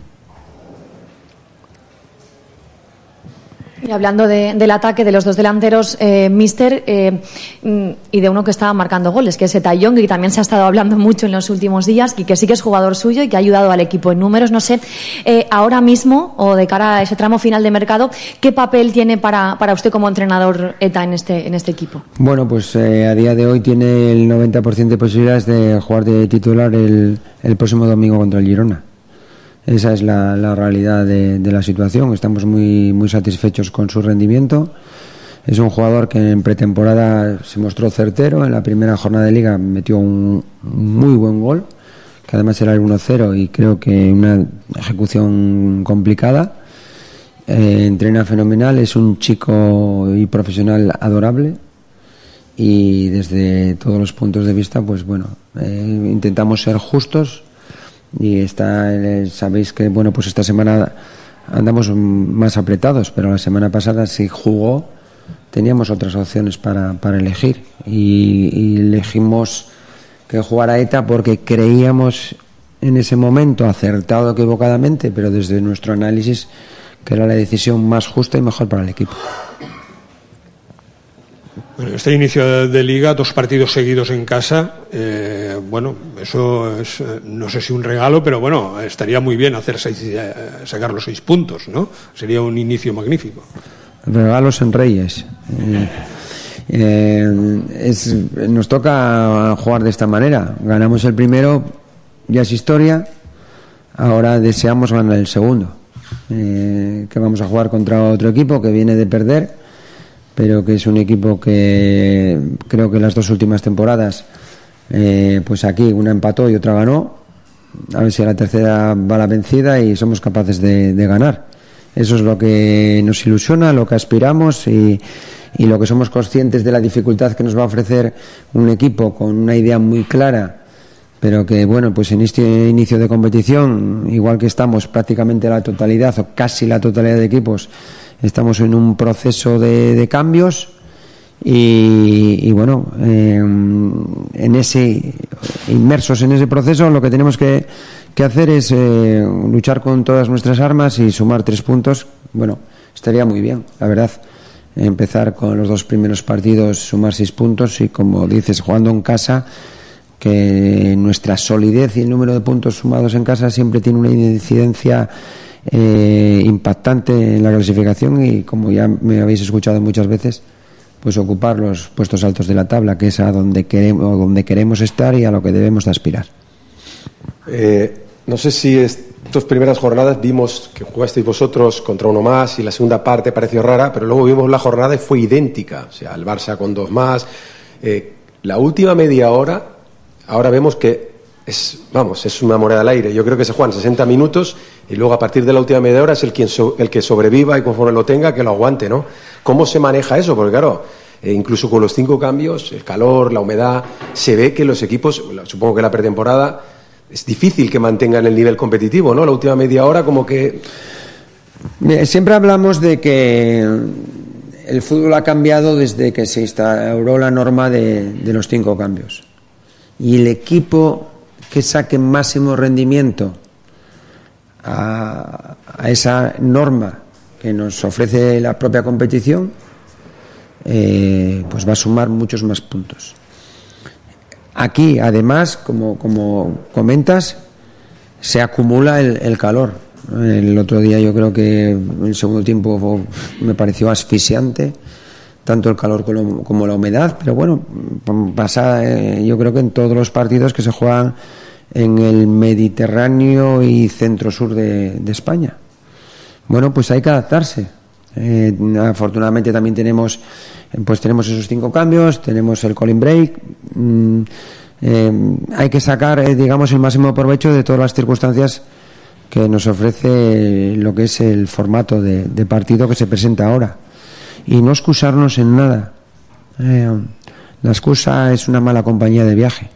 Y hablando del ataque de los 2 delanteros, míster, y de uno que estaba marcando goles, que es Etayong, y también se ha estado hablando mucho en los últimos días, y que sí que es jugador suyo y que ha ayudado al equipo en números. No sé, ahora mismo, o de cara a ese tramo final de mercado, ¿qué papel tiene para usted como entrenador Eta en este equipo? Bueno, pues a día de hoy tiene el 90% de posibilidades de jugar de titular el próximo domingo contra el Girona. Esa es la realidad de la situación. Estamos muy, muy satisfechos con su rendimiento. Es un jugador que en pretemporada se mostró certero. En la primera jornada de Liga metió un muy buen gol, que además era el 1-0, y creo que una ejecución complicada. Entrena fenomenal, es un chico y profesional adorable, y desde todos los puntos de vista, pues bueno, intentamos ser justos. Y sabéis que bueno, pues esta semana andamos más apretados, pero la semana pasada sí jugó, teníamos otras opciones para elegir, y elegimos que jugara Eta porque creíamos en ese momento, acertado o equivocadamente, pero desde nuestro análisis, que era la decisión más justa y mejor para el equipo. Bueno, este inicio de liga, 2 partidos seguidos en casa, bueno, eso es, no sé si un regalo, pero bueno, estaría muy bien sacar los 6 puntos, ¿no? Sería un inicio magnífico. Regalos en Reyes. Nos toca jugar de esta manera. Ganamos el primero, ya es historia. Ahora deseamos ganar el segundo. Que vamos a jugar contra otro equipo que viene de perder, pero que es un equipo que creo que las 2 últimas temporadas, pues aquí una empató y otra ganó. A ver si a la tercera va la vencida y somos capaces de ganar. Eso es lo que nos ilusiona, lo que aspiramos y lo que somos conscientes de la dificultad que nos va a ofrecer un equipo con una idea muy clara, pero que, bueno, pues en este inicio de competición, igual que estamos prácticamente la totalidad o casi la totalidad de equipos, estamos en un proceso de cambios y bueno, inmersos en ese proceso, lo que tenemos que hacer es luchar con todas nuestras armas y sumar 3 puntos. Bueno, estaría muy bien, la verdad, empezar con los 2 primeros partidos, sumar 6 puntos y, como dices, jugando en casa, que nuestra solidez y el número de puntos sumados en casa siempre tiene una incidencia impactante en la clasificación y, como ya me habéis escuchado muchas veces, pues ocupar los puestos altos de la tabla, que es a donde queremos estar y a lo que debemos de aspirar. No sé si estas primeras jornadas vimos que jugasteis vosotros contra uno más y la segunda parte pareció rara, pero luego vimos la jornada y fue idéntica. O sea, el Barça con 2 más. La última media hora, ahora vemos que es una moneda al aire. Yo creo que se juegan 60 minutos y luego a partir de la última media hora es el que sobreviva y conforme lo tenga, que lo aguante, ¿no? ¿Cómo se maneja eso? Porque claro, incluso con los 5 cambios, el calor, la humedad, se ve que los equipos, supongo que la pretemporada, es difícil que mantengan el nivel competitivo, ¿no? La última media hora como que... Siempre hablamos de que el fútbol ha cambiado desde que se instauró la norma de los 5 cambios. Y el equipo que saque máximo rendimiento a esa norma que nos ofrece la propia competición, pues va a sumar muchos más puntos. Aquí, además, como comentas, se acumula el calor. El otro día yo creo que el segundo tiempo me pareció asfixiante, tanto el calor como la humedad, pero bueno, pasa yo creo que en todos los partidos que se juegan en el Mediterráneo y centro-sur de España. Bueno, pues hay que adaptarse. Afortunadamente también tenemos esos 5 cambios, tenemos el cooling break. Hay que sacar, digamos, el máximo provecho de todas las circunstancias que nos ofrece lo que es el formato de partido que se presenta ahora y no excusarnos en nada. La excusa es una mala compañía de viaje.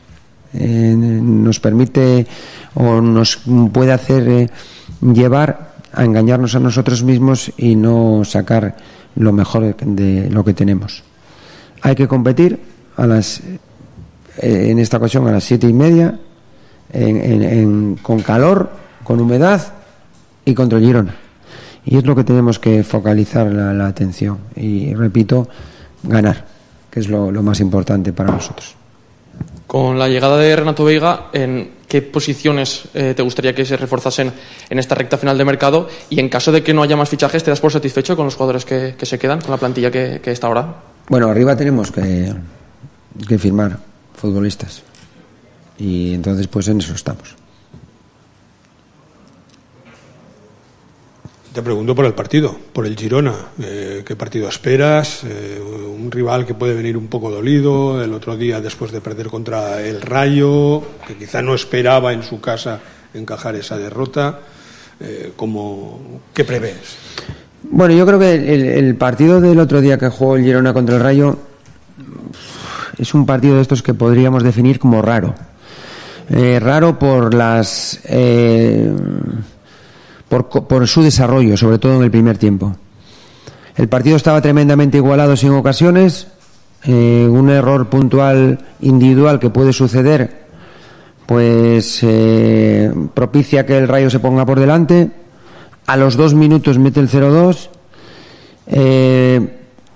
Nos permite o nos puede hacer llevar a engañarnos a nosotros mismos y no sacar lo mejor de lo que tenemos. Hay que competir en esta ocasión a las 7:30 con calor, con humedad y contra el Girona, y es lo que tenemos que focalizar la atención y, repito, ganar, que es lo más importante para nosotros. Con la llegada de Renato Veiga, ¿en qué posiciones te gustaría que se reforzasen en esta recta final de mercado? Y en caso de que no haya más fichajes, ¿te das por satisfecho con los jugadores que se quedan, con la plantilla que está ahora? Bueno, arriba tenemos que firmar futbolistas y entonces pues en eso estamos. Te pregunto por el partido, por el Girona. ¿Qué partido esperas? Un rival que puede venir un poco dolido el otro día después de perder contra el Rayo, que quizá no esperaba en su casa encajar esa derrota. ¿Qué prevés? Bueno, yo creo que el partido del otro día que jugó el Girona contra el Rayo es un partido de estos que podríamos definir como raro. Raro por por su desarrollo, sobre todo en el primer tiempo. El partido estaba tremendamente igualado sin ocasiones, un error puntual individual que puede suceder pues propicia que el Rayo se ponga por delante. A los 2 minutos mete el 0-2.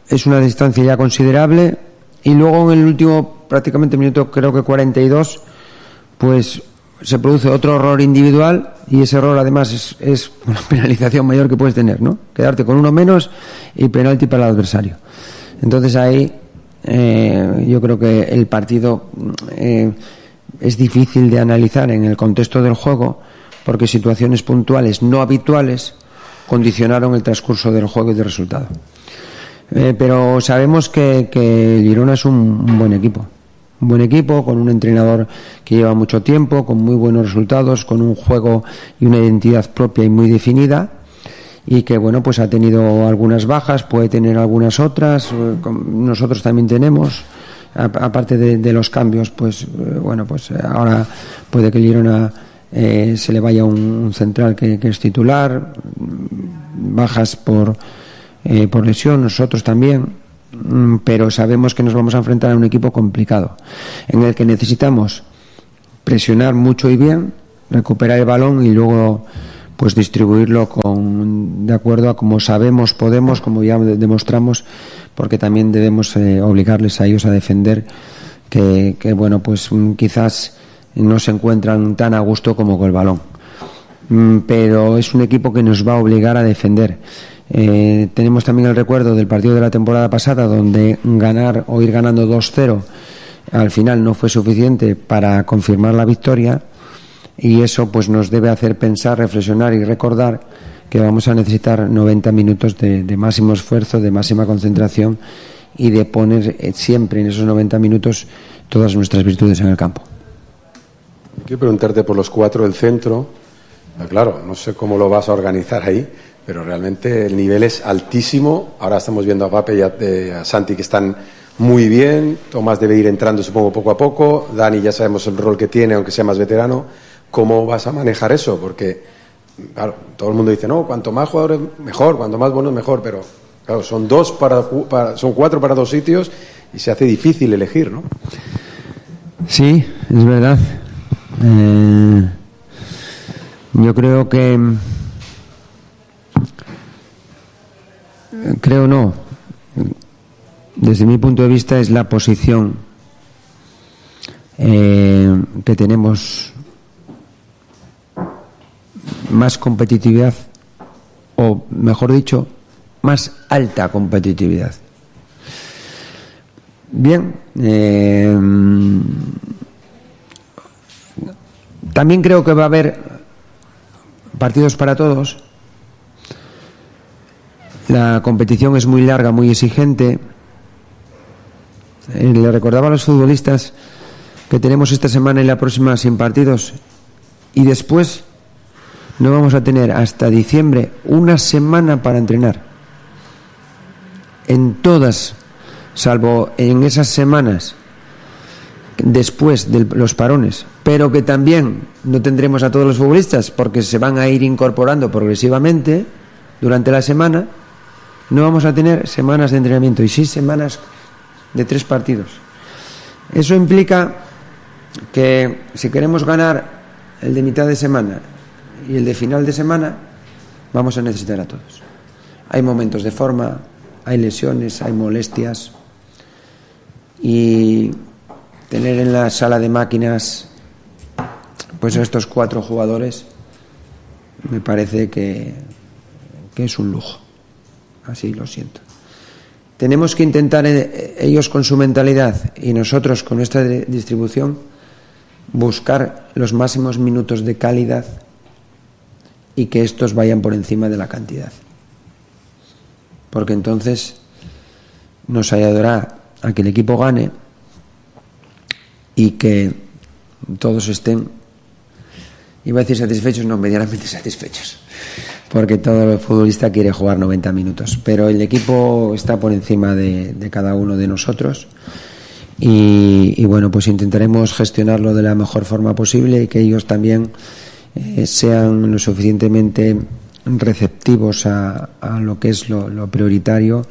Es una distancia ya considerable. Y luego en el último prácticamente minuto, creo que 42, pues se produce otro error individual, y ese error además es una penalización mayor que puedes tener, ¿no? Quedarte con uno menos y penalti para el adversario. Entonces ahí yo creo que el partido es difícil de analizar en el contexto del juego, porque situaciones puntuales no habituales condicionaron el transcurso del juego y del resultado. Pero sabemos que Girona es un buen equipo. Un buen equipo, con un entrenador que lleva mucho tiempo, con muy buenos resultados, con un juego y una identidad propia y muy definida, y que bueno, pues ha tenido algunas bajas, puede tener algunas otras, nosotros también tenemos, aparte de los cambios, pues bueno, pues ahora puede que el Girona se le vaya un central que es titular, bajas por lesión, nosotros también, pero sabemos que nos vamos a enfrentar a un equipo complicado, en el que necesitamos presionar mucho y bien, recuperar el balón y luego pues distribuirlo de acuerdo a como sabemos, podemos, como ya demostramos, porque también debemos obligarles a ellos a defender, que bueno, pues quizás no se encuentran tan a gusto como con el balón, pero es un equipo que nos va a obligar a defender. Tenemos también el recuerdo del partido de la temporada pasada, donde ganar o ir ganando 2-0 al final no fue suficiente para confirmar la victoria, y eso pues nos debe hacer pensar, reflexionar y recordar que vamos a necesitar 90 minutos de máximo esfuerzo, de máxima concentración, y de poner siempre en esos 90 minutos todas nuestras virtudes en el campo. Quiero preguntarte por los 4 del centro. Claro, no sé cómo lo vas a organizar ahí, pero realmente el nivel es altísimo. Ahora estamos viendo a Pape y a Santi, que están muy bien. Tomás debe ir entrando, supongo, poco a poco. Dani ya sabemos el rol que tiene, aunque sea más veterano. ¿Cómo vas a manejar eso? Porque, claro, todo el mundo dice, no, cuanto más jugadores mejor, cuanto más buenos mejor, pero claro, son 4 para 2 sitios y se hace difícil elegir, ¿no? Sí, es verdad. Yo creo que desde mi punto de vista es la posición que tenemos más competitividad, o mejor dicho, más alta competitividad. Bien, también creo que va a haber partidos para todos. La competición es muy larga, muy exigente. Le recordaba a los futbolistas que tenemos esta semana y la próxima sin partidos, y después no vamos a tener hasta diciembre una semana para entrenar. En todas, salvo en esas semanas después de los parones, pero que también no tendremos a todos los futbolistas, porque se van a ir incorporando progresivamente durante la semana. No vamos a tener semanas de entrenamiento y sí semanas de 3 partidos. Eso implica que si queremos ganar el de mitad de semana y el de final de semana, vamos a necesitar a todos. Hay momentos de forma, hay lesiones, hay molestias, y tener en la sala de máquinas pues a estos 4 jugadores me parece que es un lujo. Así lo siento. Tenemos que intentar, ellos con su mentalidad y nosotros con nuestra distribución, buscar los máximos minutos de calidad y que estos vayan por encima de la cantidad, porque entonces nos ayudará a que el equipo gane y que todos estén, iba a decir satisfechos, no, medianamente satisfechos, porque todo futbolista quiere jugar 90 minutos, pero el equipo está por encima de cada uno de nosotros, y bueno, pues intentaremos gestionarlo de la mejor forma posible y que ellos también sean lo suficientemente receptivos a lo que es lo prioritario,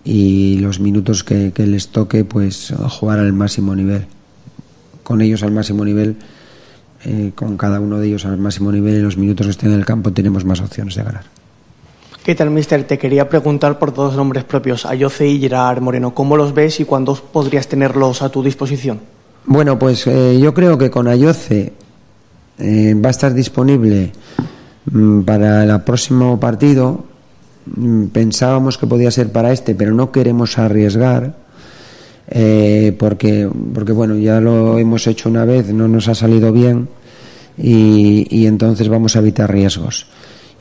y los minutos que les toque pues jugar al máximo nivel, con ellos al máximo nivel, con cada uno de ellos al máximo nivel en los minutos que estén en el campo, tenemos más opciones de ganar. ¿Qué tal, mister? Te quería preguntar por dos nombres propios, Ayoce y Gerard Moreno. ¿Cómo los ves y cuándo podrías tenerlos a tu disposición? Bueno, pues yo creo que con Ayoce va a estar disponible para el próximo partido. Pensábamos que podía ser para pero no queremos arriesgar porque bueno, ya lo hemos hecho una vez, no nos ha salido bien y entonces vamos a evitar riesgos.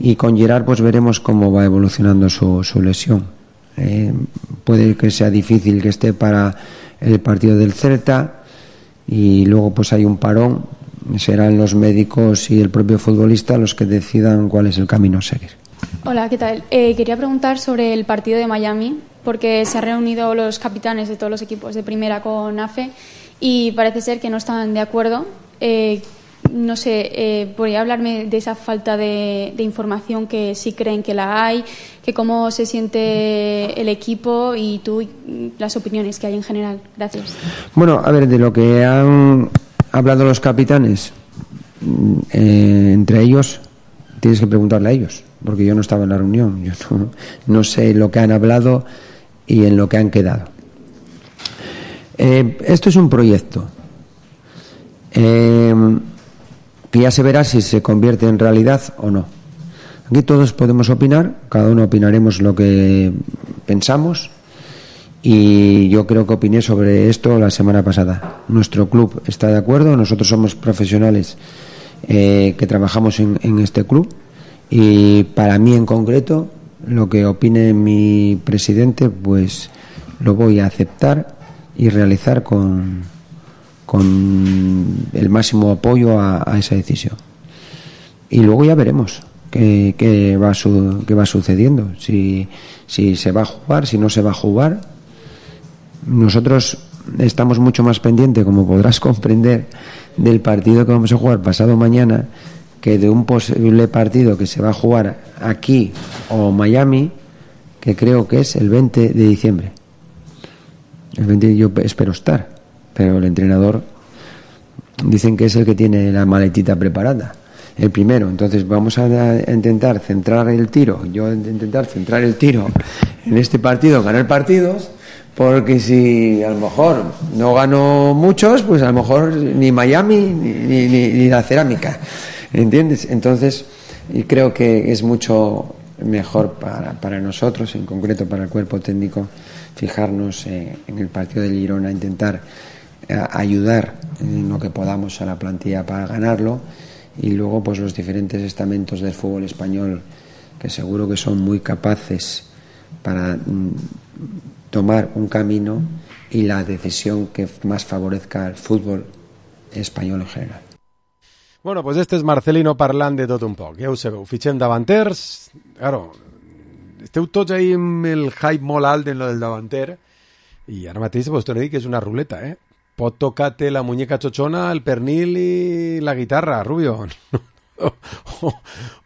Y con Gerard pues veremos cómo va evolucionando su lesión. Puede que sea difícil que esté para el partido del Celta y luego pues hay un parón. Serán los médicos y el propio futbolista los que decidan cuál es el camino a seguir. Hola, ¿qué tal? Quería preguntar sobre el partido de Miami, porque se han reunido los capitanes de todos los equipos de primera con AFE y parece ser que no están de acuerdo. No sé, ¿podría hablarme de esa falta de información que sí creen que la hay, que cómo se siente el equipo y tú las opiniones que hay en general? Gracias. Bueno, a ver, de lo que han hablado los capitanes, entre ellos, tienes que preguntarle a ellos, porque yo no estaba en la reunión, yo no sé lo que han hablado y en lo que han quedado. Esto es un proyecto que ya se verá si se convierte en realidad o no. Aquí todos podemos opinar, cada uno opinaremos lo que pensamos y yo creo que opiné sobre esto la semana pasada. Nuestro club está de acuerdo, nosotros somos profesionales que trabajamos en este club y para mí en concreto lo que opine mi presidente pues lo voy a aceptar y realizar con el máximo apoyo a esa decisión. Y luego ya veremos qué va sucediendo, si se va a jugar, si no se va a jugar. Nosotros estamos mucho más pendientes, como podrás comprender, del partido que vamos a jugar pasado mañana que de un posible partido que se va a jugar aquí o Miami, que creo que es el 20 de diciembre. El 20 yo espero estar, pero el entrenador dicen que es el que tiene la maletita preparada, el primero. Entonces vamos a intentar centrar el tiro, en este partido, ganar partidos, porque si a lo mejor no gano muchos, pues a lo mejor ni Miami ni la cerámica, ¿entiendes? Entonces y creo que es mucho mejor para nosotros, en concreto para el cuerpo técnico, fijarnos en el partido del Girona, intentar ayudar en lo que podamos a la plantilla para ganarlo y luego pues los diferentes estamentos del fútbol español que seguro que son muy capaces para tomar un camino y la decisión que más favorezca al fútbol español en general. Bueno, pues este és Marcelino parlant de tot un poc. Ja ho sabeu, fitxem davanters. Claro, esteu tots ahí amb el hype molt alt en lo del davanter i ara mateix vos torno a dir que és una ruleta, eh? Pot tocar-te la muñeca chochona, el pernil i la guitarra, Rubio.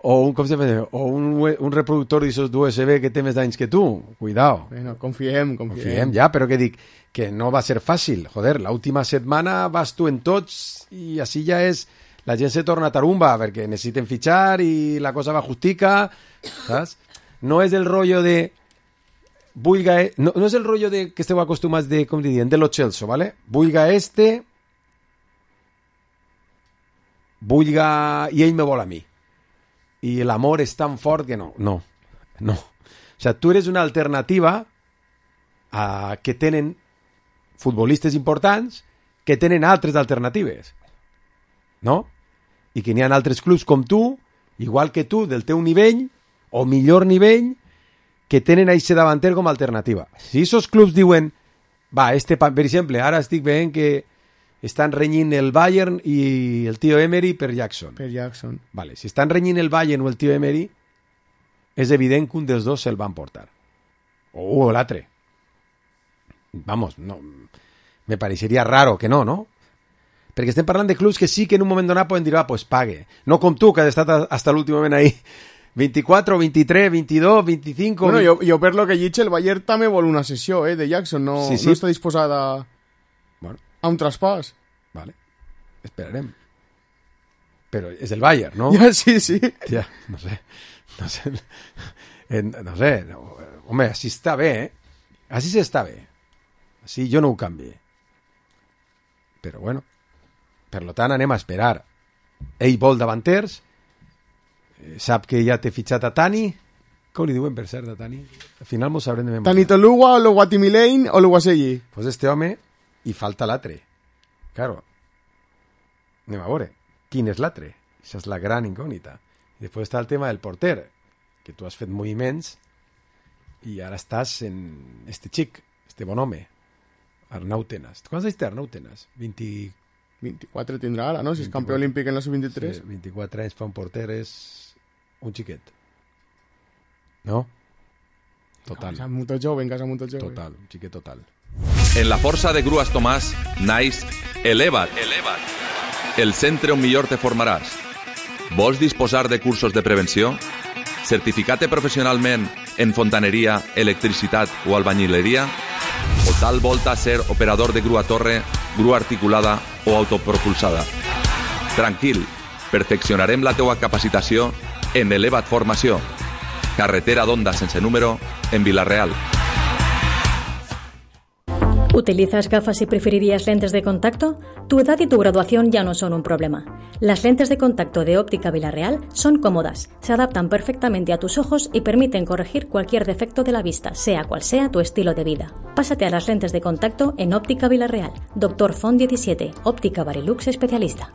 o un reproductor d'aixòs d'USB que té més d'anys que tu. Cuidao. Bueno, confiem. Ja, però que dic que no va ser fàcil. Joder, l'última setmana vas tu en tots i així ja és... La gent se torna tarumba perquè necessiten fitxar i la cosa va justica, saps? No és el rollo de... no és el rollo de que esteu acostumats de, com diríem, de lo Chelsea, ¿vale? Vulga i ell me vol a mi. I l'amor és tan fort que no. O sea, tu eres una alternativa a que tenen futbolistes importants que tenen altres alternatives. No? I que n'hi ha altres clubs com tu, igual que tu, del teu nivell, o millor nivell, que tenen aquest davanter com a alternativa. Si aquests clubs diuen, per exemple, ara estic veient que estan renyint el Bayern i el tio Emery per Jackson. Vale, si estan renyint el Bayern o el tio Emery, és evident que un dels dos se'l van portar. O l'altre. Vamos, no, me pareixeria raro que no? Perquè estem parlant de clubs que sí que en un moment donat poden dir, pues pague. No com tu, que has estat hasta l'últim moment ahí. 24, 23, 22, 25... Bueno, jo per lo que he dit, el Bayern també vol una sessió de Jackson, no està disposada a un traspàs. Vale, esperarem. Pero es el Bayern, ¿no? Ya, sí. Tía, no sé. Home, així està bé, Així s'està bé. Així jo no ho canvi. Però bueno, per lo tant anem a esperar. Ell vol davanters, sap que ja té fitxat a Tani. Com li diuen, per cert, a Tani? Al final mos sabrem de memòria. Tani Toluwa, o Luguatimilein o Luguaselli. Pues este home i falta l'altre. Claro. Anem a veure. Quin és l'altre? Això és la gran incògnita. I després està el tema del porter, que tu has fet moviments i ara estàs en este xic, este bon home, Arnau Tenas. Quants anys té Arnau Tenas? 24 tindrà ara, no? Si és campió olímpic en la sub-23. Sí, 24 anys fa un porter, és un xiquet. ¿No? Total. Casa molt jove, Total, un xiquet total. En la força de Grues Tomàs naix Eleva't. El centre on millor te formaràs. Vols disposar de cursos de prevenció? Certificat professionalment en fontaneria, electricitat o albañileria? O tal volta ser operador de grua torre, grua articulada o autopropulsada? Tranquil, perfeccionarem la teua capacitació en Eleva't Formació. Carretera d'Onda sense número en Vila-real. ¿Utilizas gafas y preferirías lentes de contacto? Tu edad y tu graduación ya no son un problema. Las lentes de contacto de Óptica Vila-real son cómodas, se adaptan perfectamente a tus ojos y permiten corregir cualquier defecto de la vista, sea cual sea tu estilo de vida. Pásate a las lentes de contacto en Óptica Vila-real. Dr. Font 17, Óptica Barilux especialista.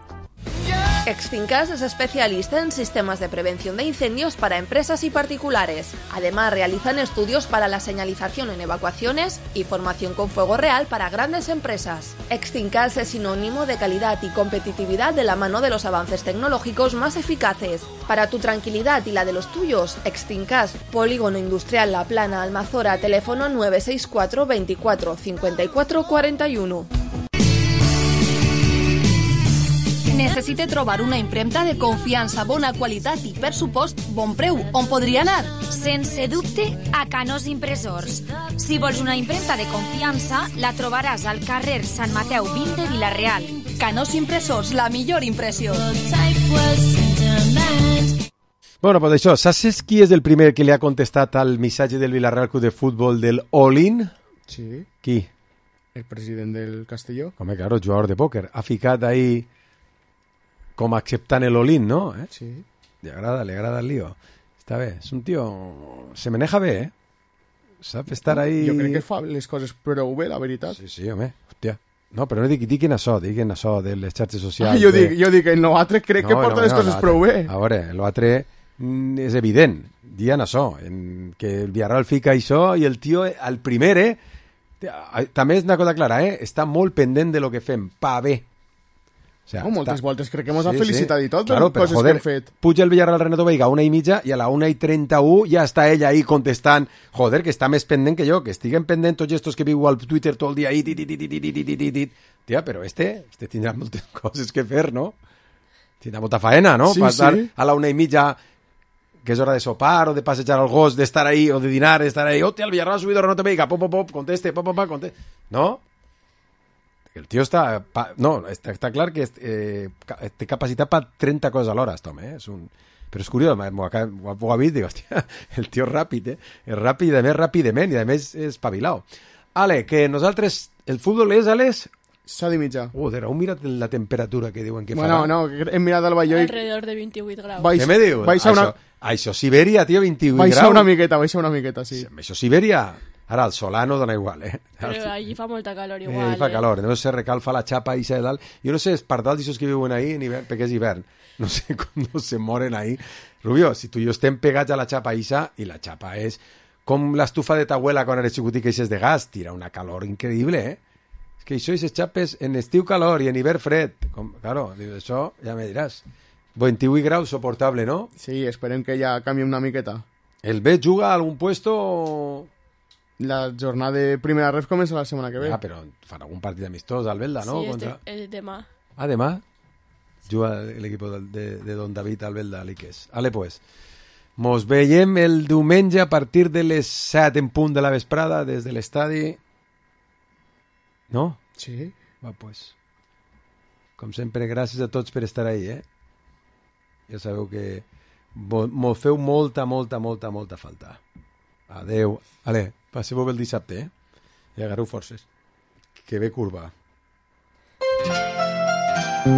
Extinkas es especialista en sistemas de prevención de incendios para empresas y particulares. Además, realizan estudios para la señalización en evacuaciones y formación con fuego real para grandes empresas. Extinkas es sinónimo de calidad y competitividad de la mano de los avances tecnológicos más eficaces. Para tu tranquilidad y la de los tuyos, Extinkas, Polígono Industrial La Plana, Almazora, teléfono 964 24 54 41. Necessite trobar una impremta de confiança, bona qualitat i, per supost, bon preu. On podria anar? Sense dubte, a Canós Impressors. Si vols una impremta de confiança, la trobaràs al carrer Sant Mateu 20 de Vila-real. Canós Impressors, la millor impressió. Bueno, pues això, saps qui és el primer que li ha contestat al missatge del Vila-real Club de Futbol del All-in? Sí. Qui? El president del Castelló. Home, claro, jugador de pòquer. Ha ficat ahí com acceptant el all-in, ¿no? Sí. Le agrada el lío. Està bé, és un tio... Se maneja bé, Sap estar ahí... Jo crec que fa les coses prou bé, la veritat. Sí, home, hòstia. No, però no dic en això de les xarxes socials. Jo dic, en l'altre crec que porta les coses prou bé. A veure, l'altre és evident, dient això, que el Villarreal fica això i el tio, el primer, també és una cosa clara, està molt pendent de lo que fem, pa bé. O sea, moltes voltes crec que ens ha felicitat i tot, claro, coses que hem fet. Puja el Villarreal Renato Veiga a 1:30 i a la 1:31 ja està ell ahí contestant, joder, que està més pendent que jo, que estiguen pendent tots estos que viu al Twitter tot el dia ahí, tia, però este tindrà moltes coses que fer, no? Tindrà molta faena, no? Sí, Passar sí. a la 1:30 que és hora de sopar o de passejar al gos, d'estar ahí, o de dinar, d'estar ahí, hòstia, el Villarreal ha subido Renato Veiga, pop, conteste, no? El tio està... No, està clar que té capacitat per 30 coses alhora, aquest home, Però és curiós, m'ho ha vist, dic, hòstia, el tio és ràpid, És ràpid, a més ràpidament, i a més és espavilau. Ale, que nosaltres... El futbol és a les... 7:30. Joder, heu mirat la temperatura que diuen que farà? No, hem mirat el Balló i... Alrededor de 28 graus. Què me dius? Això Sibèria, tio, 28 graus. Baixa una miqueta, sí. Això Sibèria... Ara, el Solano dona igual, Però allí fa molta calor igual. Allí fa calor, no se recalfa la xapa i de dalt. Jo no sé, els pardals d'aixòs que viuen ahí en hivern, perquè és hivern. No sé com no se moren ahí. Rubio, si tu i jo estem pegats a la xapa ixa, i la xapa és com l'estufa de ta abuela quan eres xicotic que és de gas, tira una calor increïble, És que això i les xapes en estiu calor i en hivern fred. Claro, això ja me diràs. 28 graus soportable, no? Sí, esperem que ja canvi una miqueta. El B juga a algun puesto... La jornada de primera ref comença la setmana que ve. Però fan algun partit amistós al Belda, no? Sí, demà. Ah, demà? Juga l'equip de Don David al Belda, l'Iques. Ale, pues. Mos veiem el diumenge a partir de les 7 en punt de la vesprada des de l'estadi. No? Sí. Va, pues. Com sempre, gràcies a tots per estar ahí, Ja sabeu que m'ho feu molta falta. Adeu. Ale, passeu-ho bé el dissabte, I agarreu forces. Que ve curva.